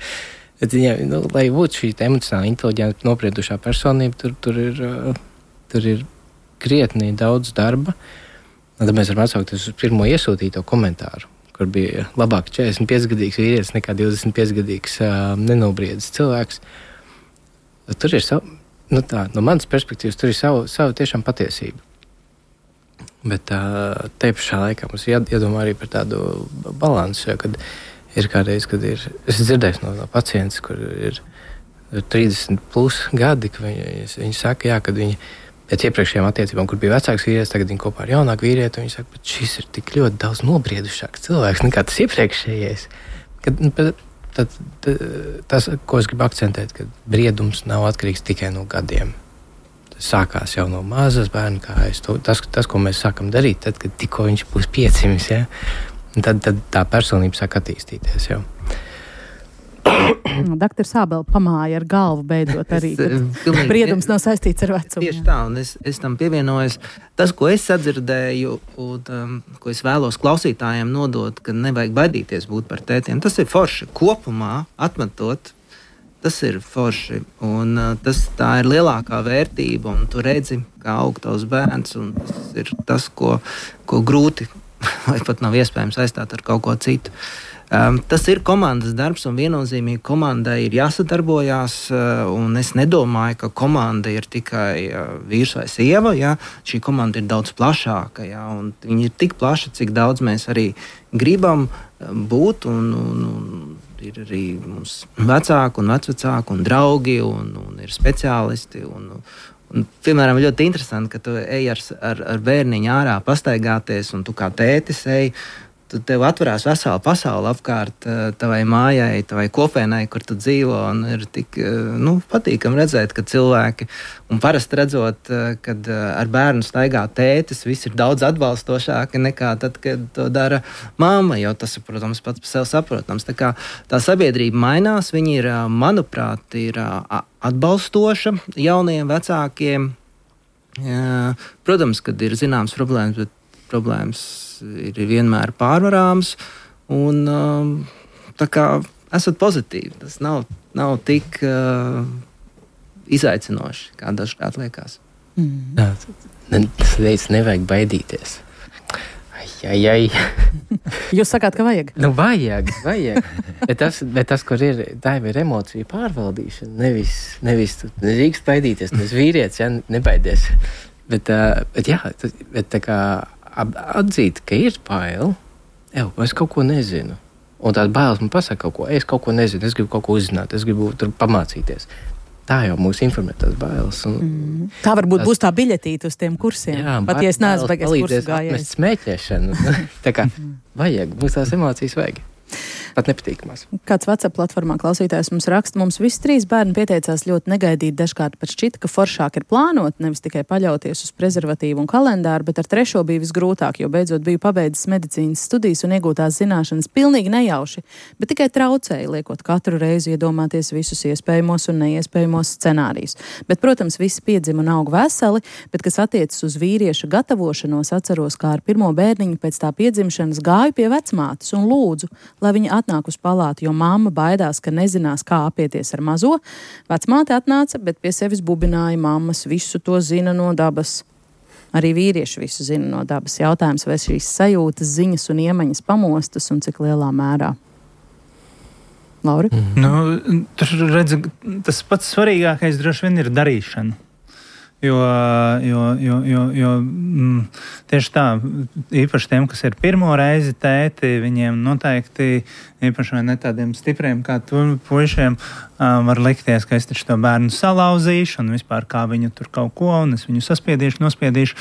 bet ja, nu, lai būtu šī emocionāli inteliģenta, nopriedušā personība, tur, tur, ir, tur ir krietni daudz darba. Un tad mēs varam atsaukties uz pirmo iesūtīto komentāru, kur bija labāk četrdesmit piecgadīgs vīrietis nekā divdesmit piecgadīgs uh, nenobriedzis cilvēks. Tur ir savu. Nu tā, no manas perspektīvas tur ir savu, savu tiešām patiesību. Bet uh, te pašā laikā mums ir jādomā arī par tādu balansu, jo, kad ir kādreiz, kad ir, es dzirdēju no, no pacients, kur ir trīsdesmit plus gadi, ka viņi, viņi saka, jā, kad viņi pēc iepriekšējām attiecībām, kur bija vecāks vīrietis, tagad viņi kopā ar jaunāku vīrieti, un viņi saka, bet šis ir tik ļoti daudz nobriedušāks cilvēks nekā tas iepriekšējais. Kad, bet, Tad, tad, tas, ko es gribu akcentēt, ka briedums nav atkarīgs tikai no gadiem. Tas sākās jau no mazas bērna kājas. Tas, tas, ko mēs sākam darīt, tad, kad tikko viņš būs piecimis, ja? tad, tad tā personība sāk attīstīties jau. Daktar Sābela pamāja ar galvu beidzot arī, ka briedums nav saistīts ar vecumu. Tieši tā, un es, es tam pievienojos. Tas, ko es sadzirdēju, un um, ko es vēlos klausītājiem nodot, ka nevajag baidīties būt par tētiem, tas ir forši. Kopumā atmetot, tas ir forši, un uh, tas, tā ir lielākā vērtība, un tu redzi, kā aug tavs bērns, un tas ir tas, ko, ko grūti vai pat nav iespējams aizstāt ar kaut ko citu. Um, tas ir komandas darbs, un viennozīmīgi komandai ir jāsadarbojās, uh, un es nedomāju, ka komanda ir tikai uh, vīrs vai sieva, ja? Šī komanda ir daudz plašāka, ja? Un viņa ir tik plaša, cik daudz mēs arī gribam uh, būt, un, un, un ir arī mums vecāki un vecvecāki un draugi, un, un ir speciālisti, un, un, piemēram, ļoti interesanti, ka tu ej ar, ar, ar bērniņu ārā pastaigāties, un tu kā tētis ej, tev atverās vesela pasaule apkārt tavai mājai, tavai kopienai, kur tu dzīvo, un ir tik, nu, patīkam redzēt, ka cilvēki, un parasti redzot, kad ar bērnu staigā tētis, viss ir daudz atbalstošāki nekā tad, kad to dara mamma, jo tas, protams, pats par sevi saprotams. Tā kā tā sabiedrība mainās, viņi ir, manuprāt, ir atbalstoša jaunajiem vecākiem, Jā, protams, kad ir zināmas problēmas, bet problēmas ir vienmēr pārvarāmas. Un, tā kā esat pozitīvi, tas nav, nav tik uh, izaicinoši, kā dažkārt liekas. Mm. Tas veids nevajag baidīties. Ai, ai, ai. Jūs sakāt, ka vajag? Nu, vajag, vajag. bet, tas, bet tas, kur ir, tā ir emocija pārvaldīšana. Nevis, nevis tu nedrīkst baidīties, nevis vīrietis, ja, nebaidies. Bet, uh, bet jā, bet tā kā atzīt, ka ir bail, jau, es kaut ko nezinu. Un tāda bailes man pasaka kaut ko, es kaut ko nezinu, es gribu kaut ko uzzināt, es gribu tur pamācīties. Tā jau mūs informē tās bailes. Un, mm. Tā varbūt tās, būs tā biļetīte uz tiem kursiem. Jā, pat ja es neesmu beigās kursu gājējis. Smēķēšanu. Tā kā vajag, mums tās emocijas vajag. Pat nepatīkamās. Kāds WhatsApp platformā klausītājs mums raksta, mums visi trīs bērni pieteicās ļoti negaidīt, dažkārt pat šķita, ka foršāk ir plānot, nevis tikai paļauties uz prezervatīvu un kalendāru, bet ar trešo bija visgrūtāk, jo beidzot biju pabeidzis medicīnas studijas un iegūtās zināšanas pilnīgi nejauši, bet tikai traucēja, liekot katru reizi iedomāties visus iespējamos un neiespējamos scenārijus. Bet, protams, visi piedzima un aug veseli, bet, kas attiecas uz vīrieša gatavošanos, atceros, kā ar pirmo bērniņu pēc tā piedzimšanas gāju pie vecmātes un lūdzu, lai viņa atnāk uz palātu, jo mamma baidās, ka nezinās, kā apieties ar mazo. Vecmāte atnāca, bet pie sevis bubināja mammas, visu to zina no dabas. Arī vīrieši visu zina no dabas. Jautājums, vai šīs sajūtas, ziņas un iemaņas pamostas un cik lielā mērā. Lauri? Mm. Nu, tur redz, tas pats svarīgākais droši vien ir darīšana. Jo, jo, jo, jo, jo mm, tieši tā, īpaši tiem, kas ir pirmo reizi tēti, viņiem noteikti, īpaši vai ne tādiem stipriem kā tu puišiem, uh, var likties, ka es taču to bērnu salauzīšu un vispār kā viņu tur kaut ko, un es viņu saspiedīšu, nospiedīšu.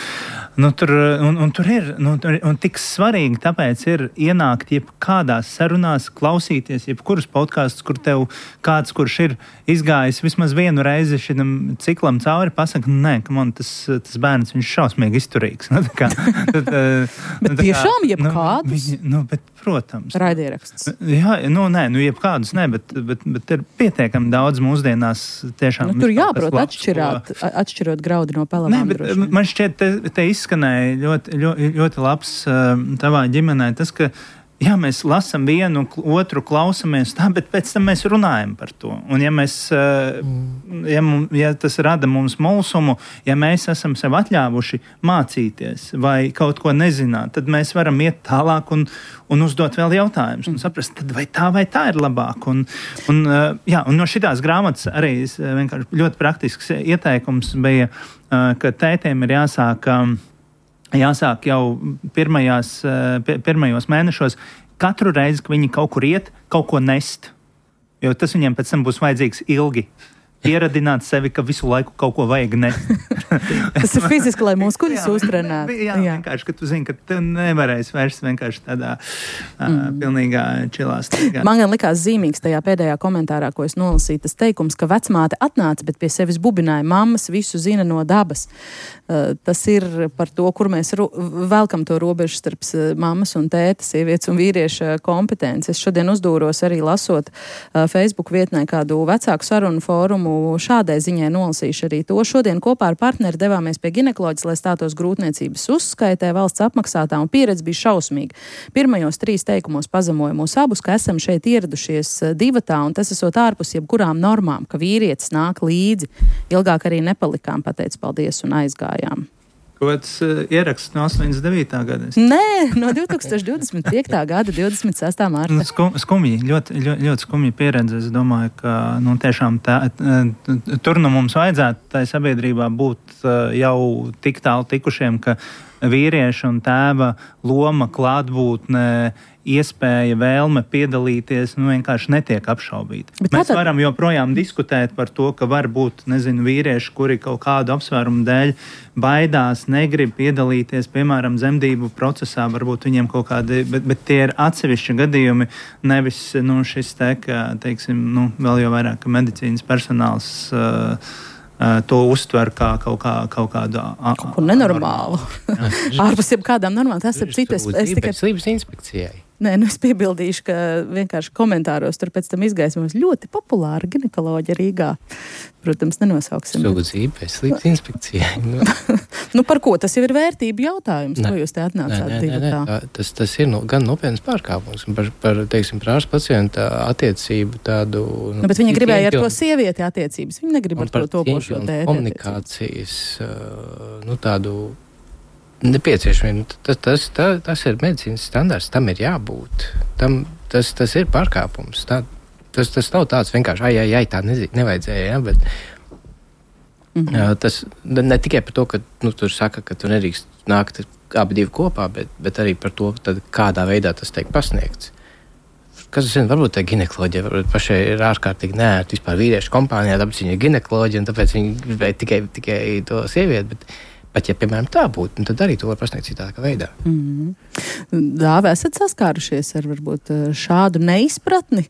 Nu, tur, un, un tur ir, nu, tur, un tik svarīgi tāpēc ir ienākt jebkādās sarunās, klausīties jebkurus podkastus, kur tev kāds, kurš ir izgājis vismaz vienu reizi šitam ciklam cauri, pasaka, nē, ka man tas, tas bērns, viņš šausmīgi izturīgs. Nu, tā kā, tad, bet nu, tiešām jebkādus? Nu, nu, bet, protams. Raidieraksts. Jā, nu, nē, nu, jebkādus nē, bet, bet, bet ir pietiekami daudz mūsdienās tiešām. Nu, tur jāprot atšķirāt, atšķirot graudi no pelavām. Nē, bet man šķiet, te, te izskanēja ļoti, ļoti, ļoti labs uh, tavā ģimenē tas, ka jā, mēs lasām vienu, otru klausamies tā, bet pēc tam mēs runājam par to. Un ja, mēs, ja, mums, ja tas rada mums mulsumu, ja mēs esam sev atļāvuši mācīties vai kaut ko nezināt, tad mēs varam iet tālāk un, un uzdot vēl jautājumus un saprast, tad vai tā vai tā ir labāk. Un, un, jā, un no šitās grāmatas arī vienkārši ļoti praktisks ieteikums bija, ka tētiem ir jāsāk Jāsāk jau pirmajās, pirmajos mēnešos katru reizi, ka viņi kaut kur iet, kaut ko nest. Jo tas viņiem pēc tam būs vajadzīgs ilgi. Pieradināt sevi, ka visu laiku kaut ko vajag nest. Tas ir fiziski, lai muskuļus uztrenētu. Jā, jā, vienkārši, ka tu zini, ka tu nevarēsi vairs vienkārši tādā mm. uh, pilnīgā čilā staigāt. Man gan likās zīmīgs tajā pēdējā komentārā, ko es nolasīju, tas teikums, ka vecmāte atnāca, bet pie sevis bubināja, mammas visu zina no dabas. Uh, tas ir par to, kur mēs ro- velkam to robežu starp mammas un tēta, sievietes un vīrieša kompetences. Es šodien uzdūros arī lasot uh, Facebook vietnē kādu vecāku sarunu fórumu. Šādai ziņai nolasīšu arī to. Šodien kopā ar partneri devāmies pie ginekoloģis, lai stātos grūtniecības uzskaitē, valsts apmaksātā, un pieredze bija šausmīga. Pirmajos trīs teikumos pazemoja mūs abus, ka esam šeit ieradušies divatā, un tas esot ārpus jebkurām normām, ka vīrietis nāk līdzi. Ilgāk arī nepalikām, pateicu paldies un aizgājām. Kāds uh, ieraksts no astoņdesmit devītā gada? Nē, no divtūkstoš divdesmit piektā gada divdesmit sestā mārta. Nu, skum, skumji, ļoti, ļoti, ļoti skumji pieredze. Es domāju, ka nu, tiešām tā, tur nu mums vajadzētu tai sabiedrībā būt uh, jau tik tālu tikušiem, ka vīrieša un tēva loma, klātbūtne, iespēja, vēlme piedalīties, nu vienkārši netiek apšaubīta. Bet Mēs tātad... varam joprojām diskutēt par to, ka var būt, nezinu, vīrieši, kuri kaut kādu apsvērumu dēļ baidās, negrib piedalīties, piemēram, zemdību procesā, varbūt viņiem kaut kādi, bet, bet tie ir atsevišķi gadījumi, nevis, nu, šis te, ka, teiksim, nu, vēl jau vairāk, ka medicīnas personāls uh, to uztver kā kaut, kā, kaut kādu kaut ko nenormālu. Ārpus jeb kādām normām. Tas ir citas. Es tikai slības inspekcijai. nē, nu es piebildīšu, ka vienkārši komentāros tur pēc tam izgaismos ļoti populāra ginekoloģa Rīgā. Protams, nenosauksim. Sūdzība, veselības inspekcija. Nu, par ko? Tas jau ir vērtību jautājums, ko jūs te atnācāt nē, nē, divatā. nē, nē. Tas, tas ir no, gan nopietnas pārkāpums par, par teiksim, par ārsta pacienta attiecību tādu... Nu, bet viņa gribēja ar to sievieti attiecības. Viņa negrib ar to topošo tēti. Komunikācijas, nu, tādu nepieciešamību. Tas, tas, tas, tas ir medicīnas standarts, tam ir jābūt. Tam, tas, tas ir pārkāpums. Tā, tas, tas nav tāds vienkārši, ai, ai, ai, tā nezinu, nevajadzēja, ja, bet mm-hmm. jā, tas ne tikai par to, ka nu, tur saka, ka tu nedrīkst nākt abi divi kopā, bet, bet arī par to, tad, kādā veidā tas tiek pasniegts. Kas zina, varbūt tā ginekoloģija, varbūt pašai ir ārkārtīgi neērti vispār vīriešu kompānijā, tāpēc viņa ir ginekoloģija, un tāpēc viņa gribēja tikai, tikai to sievieti, bet Pat, ja, piemēram, tā būtu, tad arī to var pasniegt citādā veidā. Mm-hmm. Dāvi, esat saskārušies ar varbūt šādu neizpratni?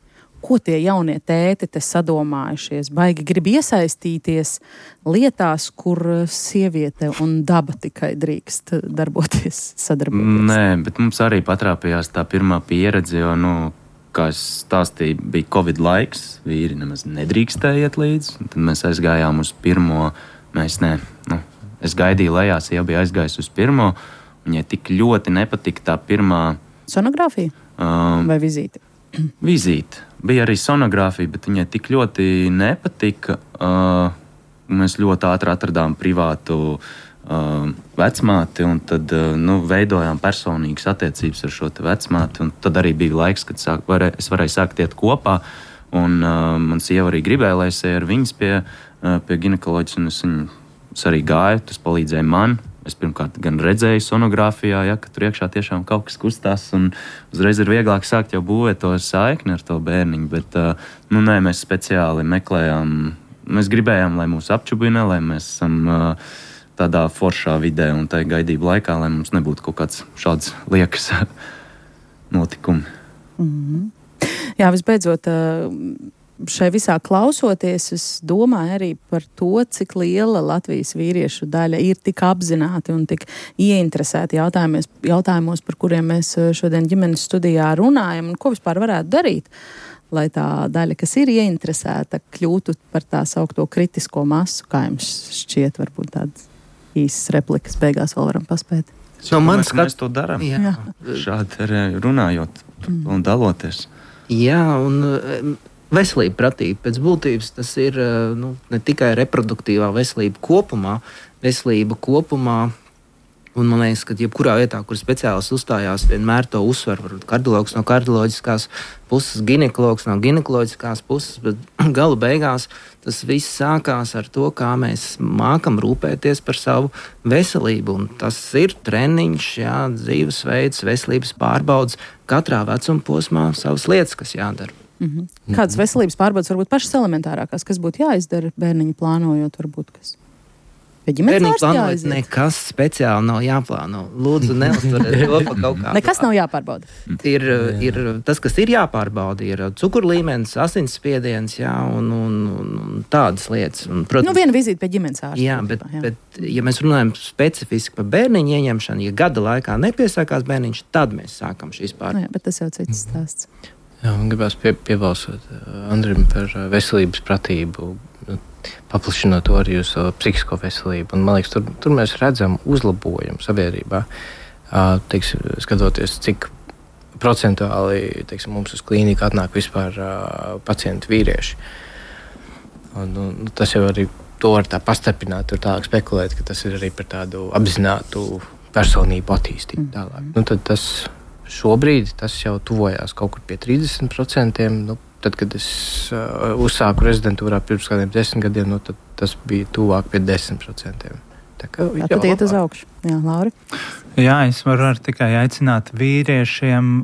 Ko tie jaunie tēti te sadomājušies? Baigi grib iesaistīties lietās, kur sieviete un daba tikai drīkst darboties, sadarboties? Nē, bet mums arī patrāpījās tā pirmā pieredze, jo, nu, kā es stāstīju, bija Covid laiks, vīri nemaz nedrīkstēja iet līdz, un tad mēs aizgājām uz pirmo, mēs ne, nu, es gaidīju lejās, jau bija aizgājis uz pirmo, un ja tik ļoti nepatika tā pirmā... Sonogrāfija? Um, Vai vizīte? Vizīte. Bija arī sonogrāfija, bet viņai tik ļoti nepatika. Uh, mēs ļoti ātri atradām privātu uh, vecmāti, un tad uh, nu, veidojām personīgas attiecības ar šo te vecmāti, un tad arī bija laiks, kad sāk, varē, es varēju sākt iet kopā, un uh, man sieva arī gribēja, lai es ar viņas pie, uh, pie ginekoloģijas, un es viņu Es arī gāju, tas palīdzēja man. Es pirmkārt gan redzēju sonogrāfijā, ja, ka tur iekšā tiešām kaut kas kustās, un uzreiz ir vieglāk sākt jau būvēt to saikni ar to bērniņu, bet nu, nē, mēs speciāli meklējām, mēs gribējām, lai mūs apčubina, lai mēs esam tādā foršā vidē un tā gaidību laikā, lai mums nebūtu kaut kāds šāds liekas notikumi. Mm-hmm. Jā, visbeidzot, šai visā klausoties, es domāju arī par to, cik liela Latvijas vīriešu daļa ir tik apzināti un tik ieinteresēti jautājumos, jautājumos, par kuriem mēs šodien ģimenes studijā runājam, un ko vispār varētu darīt, lai tā daļa, kas ir ieinteresēta, kļūtu par tā saukto kritisko masu, kā jums šķiet, varbūt tādas īsas replikas beigās vēl varam paspēt. No manis, ka mēs to darām. Jā. Šādi arī runājot mm. un daloties. Jā, un veselība pratība pēc būtības tas ir nu, ne tikai reproduktīvā veselība kopumā, veselība kopumā, un man liekas, ka jebkurā vietā, kur speciālists uzstājās, vienmēr to uzsver, varbūt kardiologs no kardioloģiskās puses, ginekologs no ginekoloģiskās puses, bet galu beigās tas viss sākās ar to, kā mēs mākam rūpēties par savu veselību, un tas ir treniņš, jā, dzīvesveids, veselības pārbaudas, katrā vecuma posmā savas lietas, kas jādara. Mm-hmm. Kādas veselības pārbaudas varbūt pašas elementārākās, kas būtu jāizdara bērniņu plānojot, varbūt kas? Bērniņu plānojot nekas speciāli nav jāplāno. Lūdzu, neuztveriet to pa kaut kā. Nekas nav jāpārbauda. Ir, ir, tas, kas ir jāpārbauda, ir cukurlīmenis, asinsspiediens, jā, un, un, un tādas lietas. Un, protams, nu, viena vizīte pie ģimenes ārsta. Jā, bet, jā. bet, ja mēs runājam specifiski par bērniņu ieņemšanu, ja gada laikā nepiesākās bērniņš, tad mēs sākam šīs pārbaudas. Nu, jā, bet tas jau cits stāsts. Jā, man gribās pie, piebalsot Andrim par veselības pratību, paplašinot to arī uz psihisko veselību. Un, man liekas, tur, tur mēs redzam uzlabojumu sabiedrībā. Teiksim, skatoties, cik procentuāli teiksim, mums uz klīniku atnāk vispār pacienti vīrieši. Un, un, tas jau arī to var tā pastarpināt, tur tālāk spekulēt, ka tas ir arī par tādu apzinātu personību attīstību tālāk. Nu, tad tas šobrīd tas jau tuvojās kaut kur pie trīsdesmit procentiem. Nu, tad, kad es uh, uzsāku rezidentūrā pirms kādiem desmit gadiem, nu, tad tas bija tuvāk pie desmit procentiem. Tā kā jā, tad iet uz augšu. Jā, Lauri? Jā, es varu tikai aicināt vīriešiem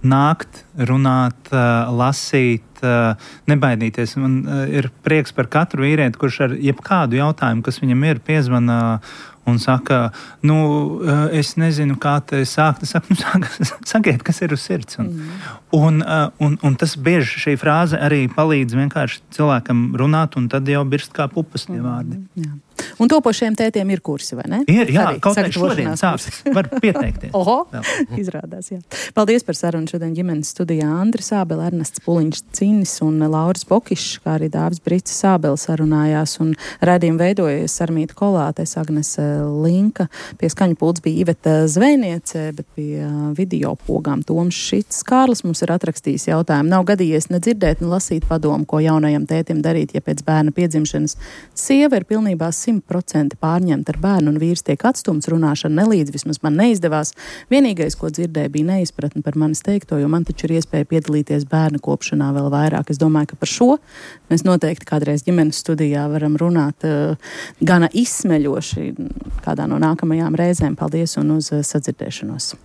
nākt, runāt, uh, lasīt, uh, nebaidīties. Man uh, ir prieks par katru vīrieti, kurš ar jebkādu jautājumu, kas viņam ir, piezvana un saka, nu, es nezinu, kā te sākt. Es saku, nu, sāk, sakiet, kas ir uz sirds. Un, mm. un, un, un tas bieži šī frāze arī palīdz vienkārši cilvēkam runāt, un tad jau birst kā pupas tie vārdi. Mm, jā. Un topošiem tētiem ir kursi, vai ne? Ir, jā, Arī kaut kā šodien sāks. Var pieteikties. Oho, izrādās, jā. Paldies par sarunu šodien ģimenes studijā Andri Sābele, Ernests Puliņš Cinis un Lauris Bokišs, kā arī Dāvis Brits Sābele sarunājās un raidījumu veidojas Sarmīta Kolātes, Agnese Linka, pie skaņu pults bija Iveta Zvejniece, bet pie video pogām Toms Šits. Kārlis mums ir atrakstījis jautājumu. Nav gadījies nedzirdēt, ne lasīt padomu, ko jaunajam tētim darīt, ja pēc bērna piedzimšanas sieva ir pilnībā simt procenti pārņemta ar bērnu un vīrs tiek atstumts, runāšana nelīdz, vismaz man neizdevās. Vienīgais, ko dzirdēju, bija neizpratne par manis teikto, jo man taču ir iespēja piedalīties bērnu kopšanā vēl vairāk. Es domāju, ka par šo mēs noteikti kādreiz ģimenes studijā varam runāt uh, gana izsmeļoši kādā no nākamajām reizēm. Paldies un uz uh, sadzirdēšanos!